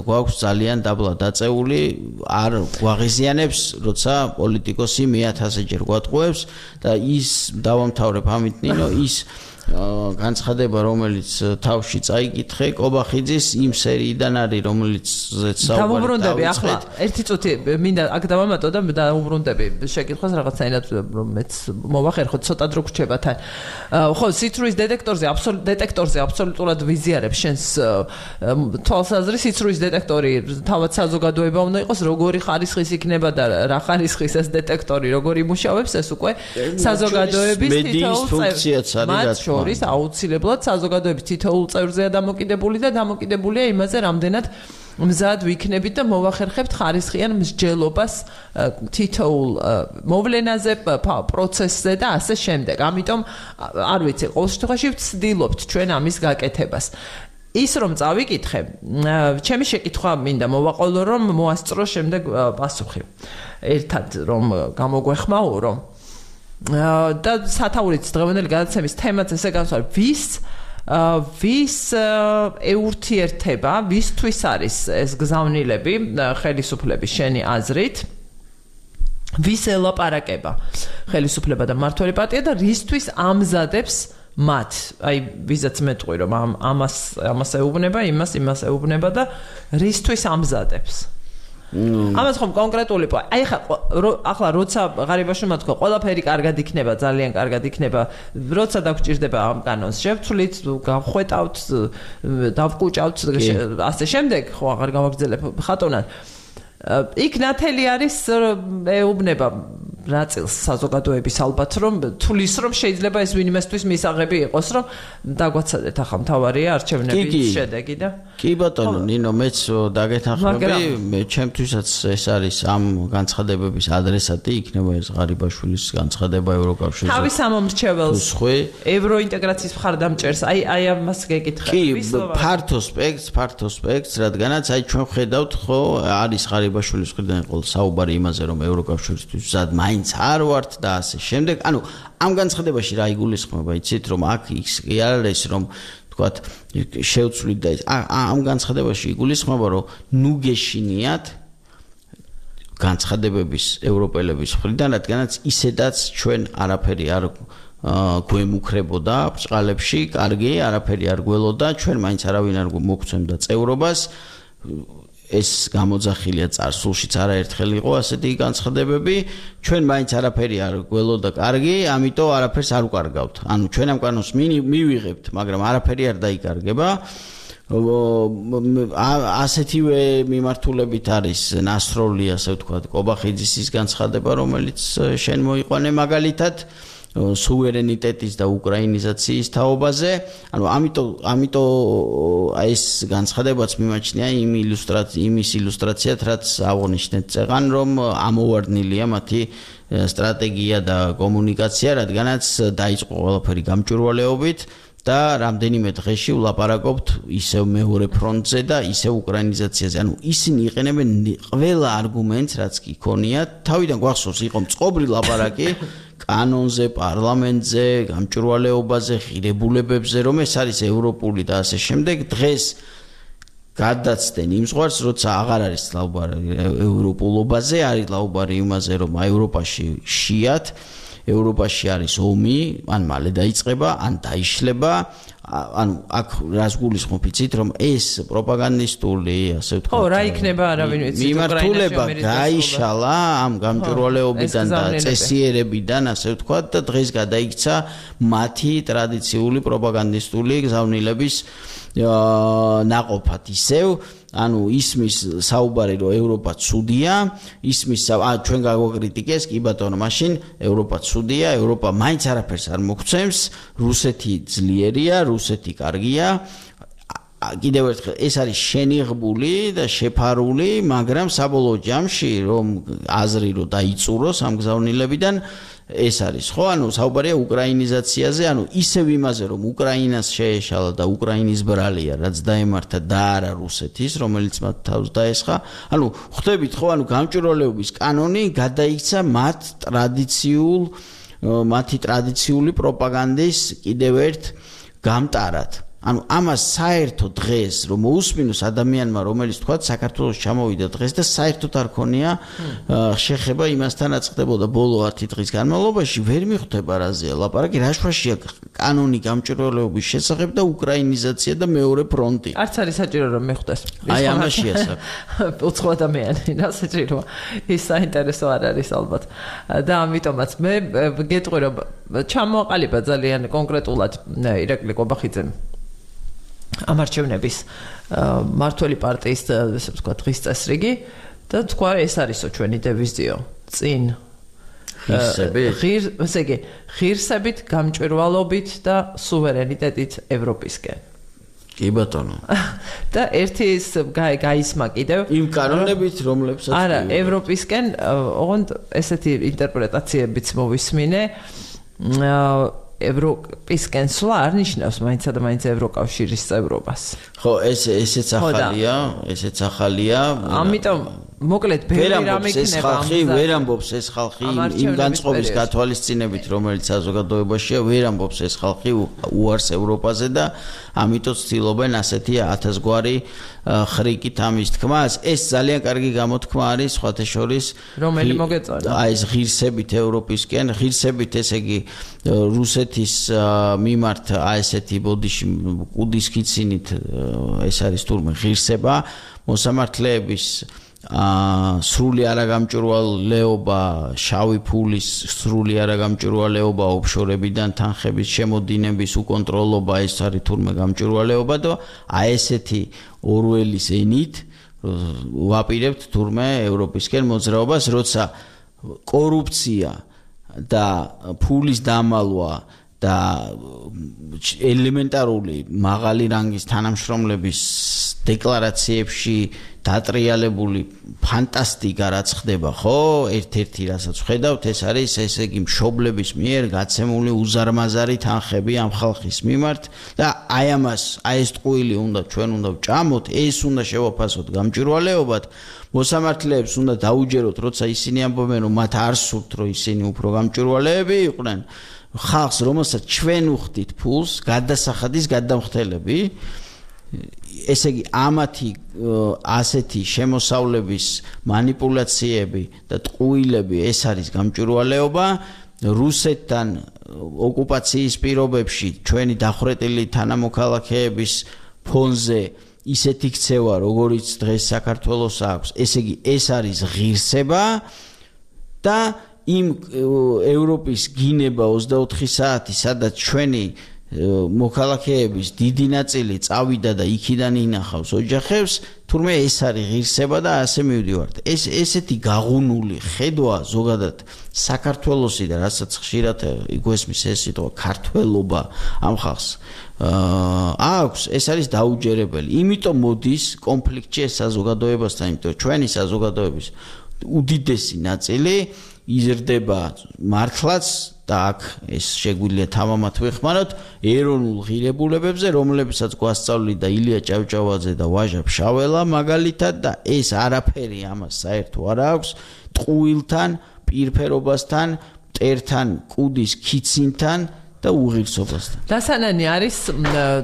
გვაქვს ძალიან დაბლა დაწეული, არ გვაღიზიანებს, როცა პოლიტიკოსი 1000-ჯერ გვატყუებს და ის დავამთავრებ ამით ნინო, ის განცხადება რომელიც თავში წაიკითხე კობახიძის იმ სერიიდან არის რომელიც დავუბრუნდები ახლა ერთი წუთი მინდა აქ დავამატო და დავუბრუნდები შეკითხვას რაღაცაინად რომ მეც მოვახერხო ცოტა დრო გრჩება თან ხო სიცრუის დეტექტორზე აბსოლუტურად ვიზიარებს შენს თვალსაზრისით სიცრუის დეტექტორი თავად საზოგადოება უნდა იყოს როგორი ხარისხის იქნება და რა ხარისხის ეს დეტექტორი როგორი იმუშავებს ეს უკვე საზოგადოების თითოეულ წევრს შორის აუცილებლად საზოგადოების თითოეულ წევრზეა დამოკიდებული და დამოკიდებულია იმაზე რამდენად მზად ვიქნებით და მოვახერხებთ ხარისხიან მსჯელობას თითოეულ მოვლენაზე პროცესზე და ასე შემდეგ. ამიტომ არ ვიცი, ყოველ შემთხვევაში ვცდილობთ ჩვენ ამის გაკეთებას. ის რომ წავიკითხე, ჩემი შეკითხვა მინდა მოვაყოლო რომ მოასწრო შემდეგ პასუხი. ერთად რომ გამოგვეხმაურო და სათაურიც დღევანდელი გადაცემის თემაც ესე განსვარ ვის ეურთიერთება ვისთვის არის ეს გზავნილები ხელისუფლების შენი აზრით ვის ელაპარაკება ხელისუფლება და მმართველი პარტია და რისთვის ამზადებს მათ აი ვიზაც მეტყვი რომ ამას ეუბნება იმას ეუბნება და რისთვის ამზადებს ამას ხომ კონკრეტული აი ახლა როცა ღარიბაშვილმა თქვა ყველაფერი კარგად იქნება ძალიან კარგად იქნება როცა დაგჭირდება ამ კანონს შევცვლით გავხვეტავთ დავკუჭავთ ასე შემდეგ ხო აღარ გავაგრძელებ ხატონად იქ ნათელი არის ეუბნება ნაწილს საზოგადოების ალბათ რომ თulis რომ შეიძლება ეს ვინმესთვის მისაღები იყოს რომ დაგვაცადეთ ახლა მთავარია არჩევნების შედეგი და კი ბატონო ნინო მეც დაგეთანხმები მე ჩემთვისაც ეს არის ამ განცხადებების ადრესატი იქნება ეს ღარიბაშვილის განცხადება ევროკავშირზე თავის ამომრჩეველს ევროინტეგრაციის მხარდამჭერს აი ამას გეკითხები ფართო სპექტრს რადგანაც აი ჩვენ ხედავთ ხო არის ღარიბაშვილის მხრიდან ყოველ საუბარი იმაზე რომ ევროკავშირისთვის ზად მაინც არ ვართ და ასე შემდეგ ანუ ამ განცხადებაში რა იგულისხმება იცით რომ აქ ის კი არ არის რომ თქვათ შევცვლით და ამ განცხადებაში იგულისხმება რომ ნუ გეშინიათ განცხადებების ევროპელების მხრიდან რადგანაც ისედაც ჩვენ არაფერი არ გვემუქრებოდა ბჭყალებში კარგი არაფერი არ გველოდა ჩვენ მაინც არავინ არ მოგცემდა წევრობას ეს გამოძახილია წარსულშიც არაერთხელ იყო ასეთი განცხადებები ჩვენ მაინც არაფერი არ გველოდა კარგი ამიტომ არაფერს არ ვკარგავთ ანუ ჩვენ ამ კანონს მივიღებთ მაგრამ არაფერი არ დაიკარგება ასეთივე მიმართულებით არის ნასროლი ასე ვთქვათ კობახიძის ის განცხადება რომელიც შენ მოიყვანე მაგალითად სუვერენიტეტის და უკრაინიზაციის თაობაზე ანუ ამიტომ ეს განცხადებაც მიმაჩნია იმის ილუსტრაციად რაც აღნიშნეთ წეღან რომ ამოვარდნილია მათი სტრატეგია და კომუნიკაცია რადგანაც დაიწყო ყველაფერი გამჭვირვალეობით და რამდენიმე დღეში ვლაპარაკობთ ისევ მეორე ფრონტზე და ისევ უკრაინიზაციაზე. ანუ ისინი იყენებენ ყველა არგუმენტს, რაც კი ქონიათ. თავიდან გვახსოვს იყო მწყობრი ლაპარაკი კანონზე, პარლამენტზე, გამჭვირვალეობაზე, ღირებულებებზე, რომ ეს არის ევროპული და ასე შემდეგ. დღეს გადაცდენ იმ ზღვარს, როცა აღარ არის ლაუბარი ევროპულობაზე, არის ლაუბარი იმაზე, რომ ევროპაში შიათ ევროპაში არის ომი, ან მალე დაიწყება, ან დაიშლება, ანუ აქ რას გულისხმობ იცით, რომ ეს პროპაგანდისტული, ასე ვთქვათ. ხო, რა იქნება, არავინ ვიცი, მიმართულება გაიშალა ამ გამჭვირვალეობიდან და წესიერებიდან, ასე ვთქვათ, და დღეს გადაიქცა მათი ტრადიციული პროპაგანდისტული გზავნილების ნაყოფად ისევ ანუ ისმის საუბარი რომ ევროპა ცუდია ისმის ჩვენ გაგვაკრიტიკეს კი ბატონო მაშინ ევროპა ცუდია ევროპა მაინც არაფერს არ მოგცემს რუსეთი ძლიერია რუსეთი კარგია კიდევ ერთხელ ეს არის შენიღბული და შეფარული მაგრამ საბოლოო ჯამში რომ აზრი რომ დაიწუროს ამ გზავნილებიდან ეს არის ხო ანუ საუბარია უკრაინიზაციაზე ანუ ისევ იმაზე რომ უკრაინას შეეშალა და უკრაინის ბრალია რაც დაემართა და არა რუსეთის რომელიც მათ თავს დაესხა ანუ ხვდებით ხო ანუ გამჭვირვალეობის კანონი გადაიქცა მათი ტრადიციული პროპაგანდის კიდევ ერთ გამტარად ანუ ამას საერთო დღეს რომ მოусმინოს ადამიანმა რომელიც თქვა საქართველოს ჩამოვიდა დღეს და საერთოდ არ ქონია შეხება იმასთანაც ხდებოდა ბოლო 10 დღის განმავლობაში ვერ მიხვდება რაზეა ლაპარაკი რა შუაშია კანონი გამჭვირვალეობის შესახებ და უკრაინიზაცია და მეორე ფრონტი არც არის საჭირო რომ მიხვდეს აი ამაშია უცხო ადამიანი რა საჭიროა ის საინტერესო არ არის ალბათ და ამიტომაც მე გეტყვი რომ ჩამოაყალიბა ძალიან კონკრეტულად ირაკლი ყობახიძემ ამ არჩევნების მართველი პარტიის ესე ვთქვათ დღის წესრიგი და თქვა ეს არისო ჩვენი დევიზიო წინ ღირსებით გამჭვირვალობით და სუვერენიტეტით ევროპისკენ კი ბატონო და ერთი ის გაისმა კიდევ იმ კანონებით რომლებსაც არა ევროპისკენ ოღონდ ესეთი ინტერპრეტაციებიც მოვისმინე ევროპისკენ სვლა არ ნიშნავს მაინცსა და მაინც ევროკავშირის წევრობას. ხო, ესეც ახალია. ამიტომ მოკლედ ბევრი რამე იქნება ვერ ამბობს ეს ხალხი იმ განწყობის გათვალისწინებით, რომელიც საზოგადოებაშია, ვერ ამბობს ეს ხალხი უარს ევროპაზე და ამიტომ ცდილობენ ასეთი 1000 გვარი ხრიკით ამის თქმას. ეს ძალიან კარგი გამოთქმა არის სხვათა შორის რომელი მოგეწონა. აი ეს ღირსებით ევროპისკენ, ღირსებით ესე იგი რუსეთის მიმართ აი ესეთი ბოდიში კუდის ქიცინით ეს არის თურმე ღირსება მოსამართლეების სრული არაგამჭვირვალეობა, შავი ფულის სრული არაგამჭვირვალეობა, ოფშორებიდან თანხების შემოდინების უკონტროლობა ეს არის თურმე გამჭვირვალეობა და აი ესეთი ორველის ენით ვაპირებთ თურმე ევროპისკენ მოძრაობას, როცა კორუფცია და ფულის დამალვა და ელემენტარული მაღალი რანგის თანამშრომლების დეკლარაციებში დატრიალებული ფანტასტიკა რაც ხდება, ხო? ერთ-ერთი რასაც ხედავთ, ეს არის ესე იგი მშობლების მიერ გაცემული უზარმაზარი თანხები ამ ხალხის მიმართ და აი ამას, აი ეს ტყუილი ჩვენ უნდა ვჭამოთ, ეს უნდა შევაფასოთ გამჭვირვალეობად, მოსამართლეებს უნდა დაუჯეროთ, როცა ისინი ამბობენ, რომ მათ არ სურთ, რომ ისინი უფრო გამჭვირვალეები იყვნენ. ხალხს, რომელსაც ჩვენ ვხდით ფულს, გადასახადის გადამხდელები, ესე იგი ამათი ასეთი შემოსავლების манипуляციები და ტყუილები ეს არის გამჭვირვალეობა რუსეთთან ოკუპაციის პირობებში ჩვენი დახვრეტილი თანამოქალაქეების ფონზე ისეთი ქცევა როგორიც დღეს საქართველოს აქვს ესე იგი ეს არის ღირსება და იმ ევროპის გინება 24 საათი სადაც ჩვენი მოქალაქეების დიდი ნაწილი წავიდა და იქიდან ინახავს ოჯახებს, თურმე ეს არის ღირსება და ასე მივდივართ. ესეთი გაღუნული ხედვა ზოგადად საქართველოსი და რასაც ხშირად იგვესმის ეს სიტყვა ქართველობა ამ ხალხს აქვს, ეს არის დაუჯერებელი. იმიტომ მოდის კონფლიქტში ეს საზოგადოებასთან, იმიტომ ჩვენი საზოგადოების უდიდესი ნაწილი იზრდება მართლაც და აქ ეს შეგვიძლია თამამად ვეხმაროთ ეროვნულ ღირებულებებზე, რომლებსაც გვასწავლიდა ილია ჭავჭავაძე და ვაჟა ფშაველა მაგალითად და ეს არაფერი ამას საერთო არ აქვს ტყუილთან, პირფერობასთან, მტერთან, კუდის ქიცინთან და უღირსობასთან. დასანანი არის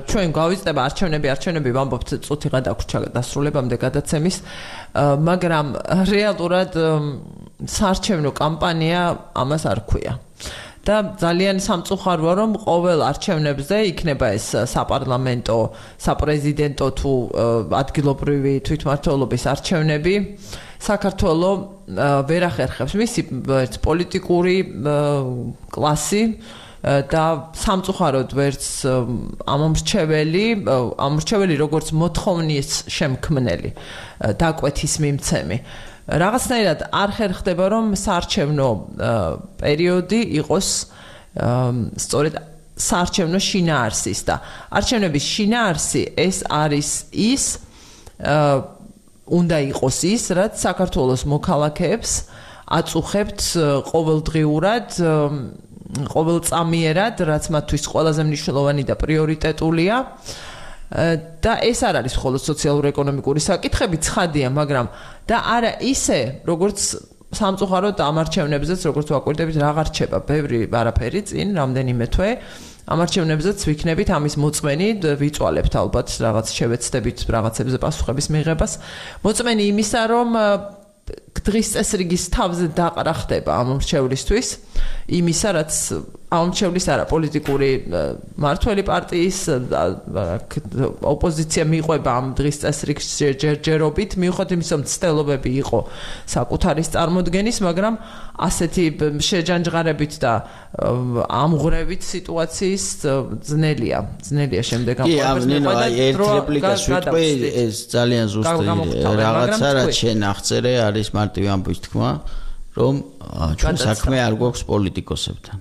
ჩვენ გავიწდება არჩევნები ვამბობთ წუთი გადაგვრჩა დასრულებამდე გადაცემის, მაგრამ რეალურად საარჩევნო კამპანია ამას არ ქვია. და ძალიან სამწუხაროა რომ ყოველ არჩევნებზე იქნება ეს საპარლამენტო, საპრეზიდენტო თუ ადგილობრივი თვითმმართველობის არჩევნები საქართველოს ვერ ახერხებს მისი პოლიტიკური კლასი და სამწუხაროდ ვერც ამორჩეველი როგორც მოთხოვნის შემქმნელი დაკვეთის მიმცემი რაღაცნაირად არ ხერხდება რომ საარჩევნო პერიოდი იყოს სწორედ საარჩევნო შინაარსის და არჩევნების შინაარსი ეს არის ის უნდა იყოს ის რაც საქართველოს მოქალაქეებს აწუხებთ ყოველდღიურად ყოველწამიერად რაც მათთვის ყველაზე მნიშვნელოვანი და პრიორიტეტულია და ეს არ არის მხოლოდ სოციალურ-ეკონომიკური საკითხები ცხადია მაგრამ და არა ისე როგორც სამწუხაროდ ამ არჩევნებზეც როგორც ვაკვირდებით აღარ რჩება ბევრი არაფერი წინ რამდენიმე თვე ამ არჩევნებზეც ვიქნებით ამის მოწმენი ვიწვალებთ ალბათ რაღაც შევეცდებით რაღაცებზე პასუხების მიღებას მოწმენი იმისა რომ დღის წესრიგის თავზე დაყრა ხდება ამ მრჩევლისთვის იმისა რაც ამ მრჩევლის არა პოლიტიკური მართველი პარტიის ოპოზიცია მიყვება ამ დღის წესრიგს ჯერჯერობით მიუხედავად იმისა რომ ცდელობები იყო საკუთარის წარმოდგენის მაგრამ ასეთი შეჯანჯღარებით და ამღვრევით სიტუაციის ძნელია შემდეგ ამ ერთ რეპლიკას ვიტყვი ეს ძალიან ზუსტი რაღაცა რაც შენ აღწერე არის მარტივი ამბის თქმა რომ ჩვენ საქმე არ გვაქვს პოლიტიკოსებთან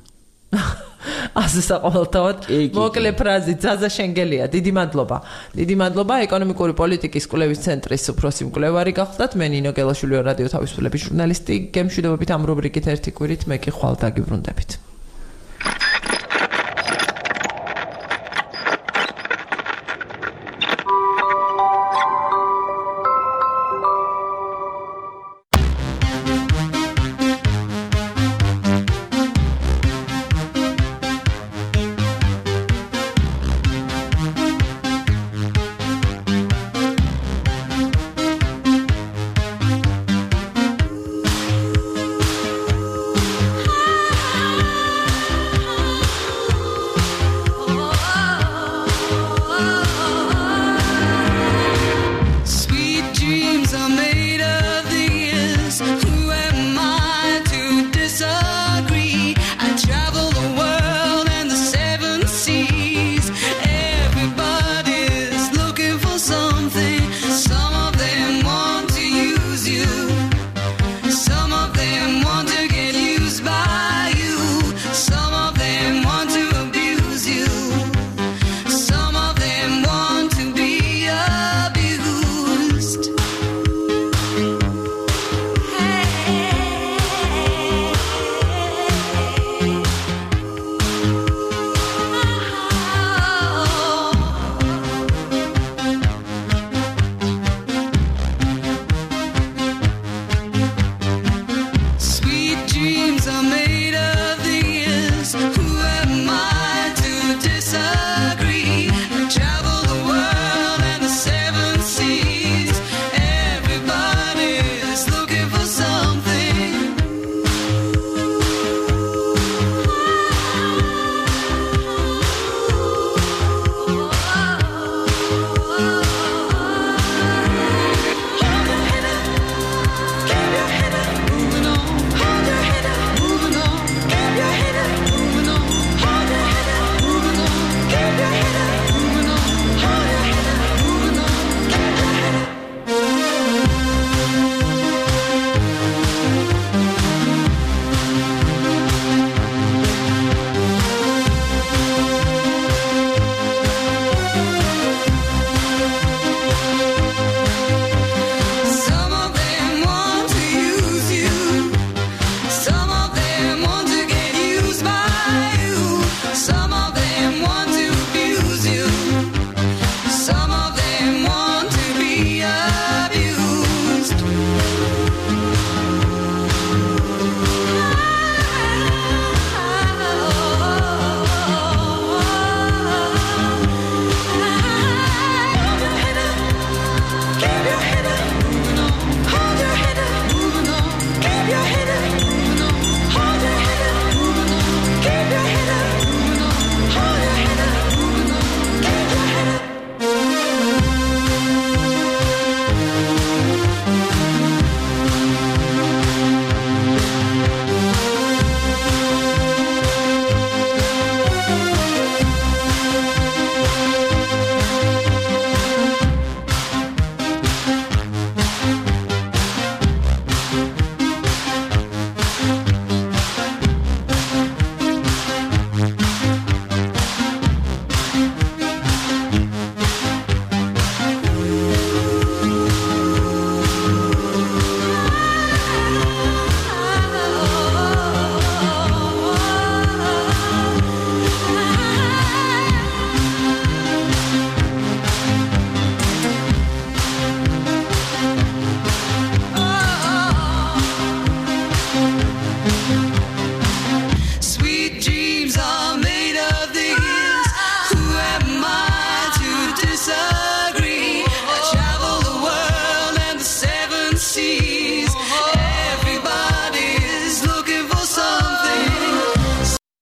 ასე საყოველთაოდ მოკლე ფრაზით ზაზა შენგელია დიდი მადლობა ეკონომიკური პოლიტიკის კვლევის ცენტრის უფროსი მკვლევარი გახდათ მე ნინო გელაშვილი რადიო თავისუფლების ჟურნალისტი გემშვიდობებით ამ რუბრიკით ერთი კვირით მე კი ხვალ დაგიბრუნდებით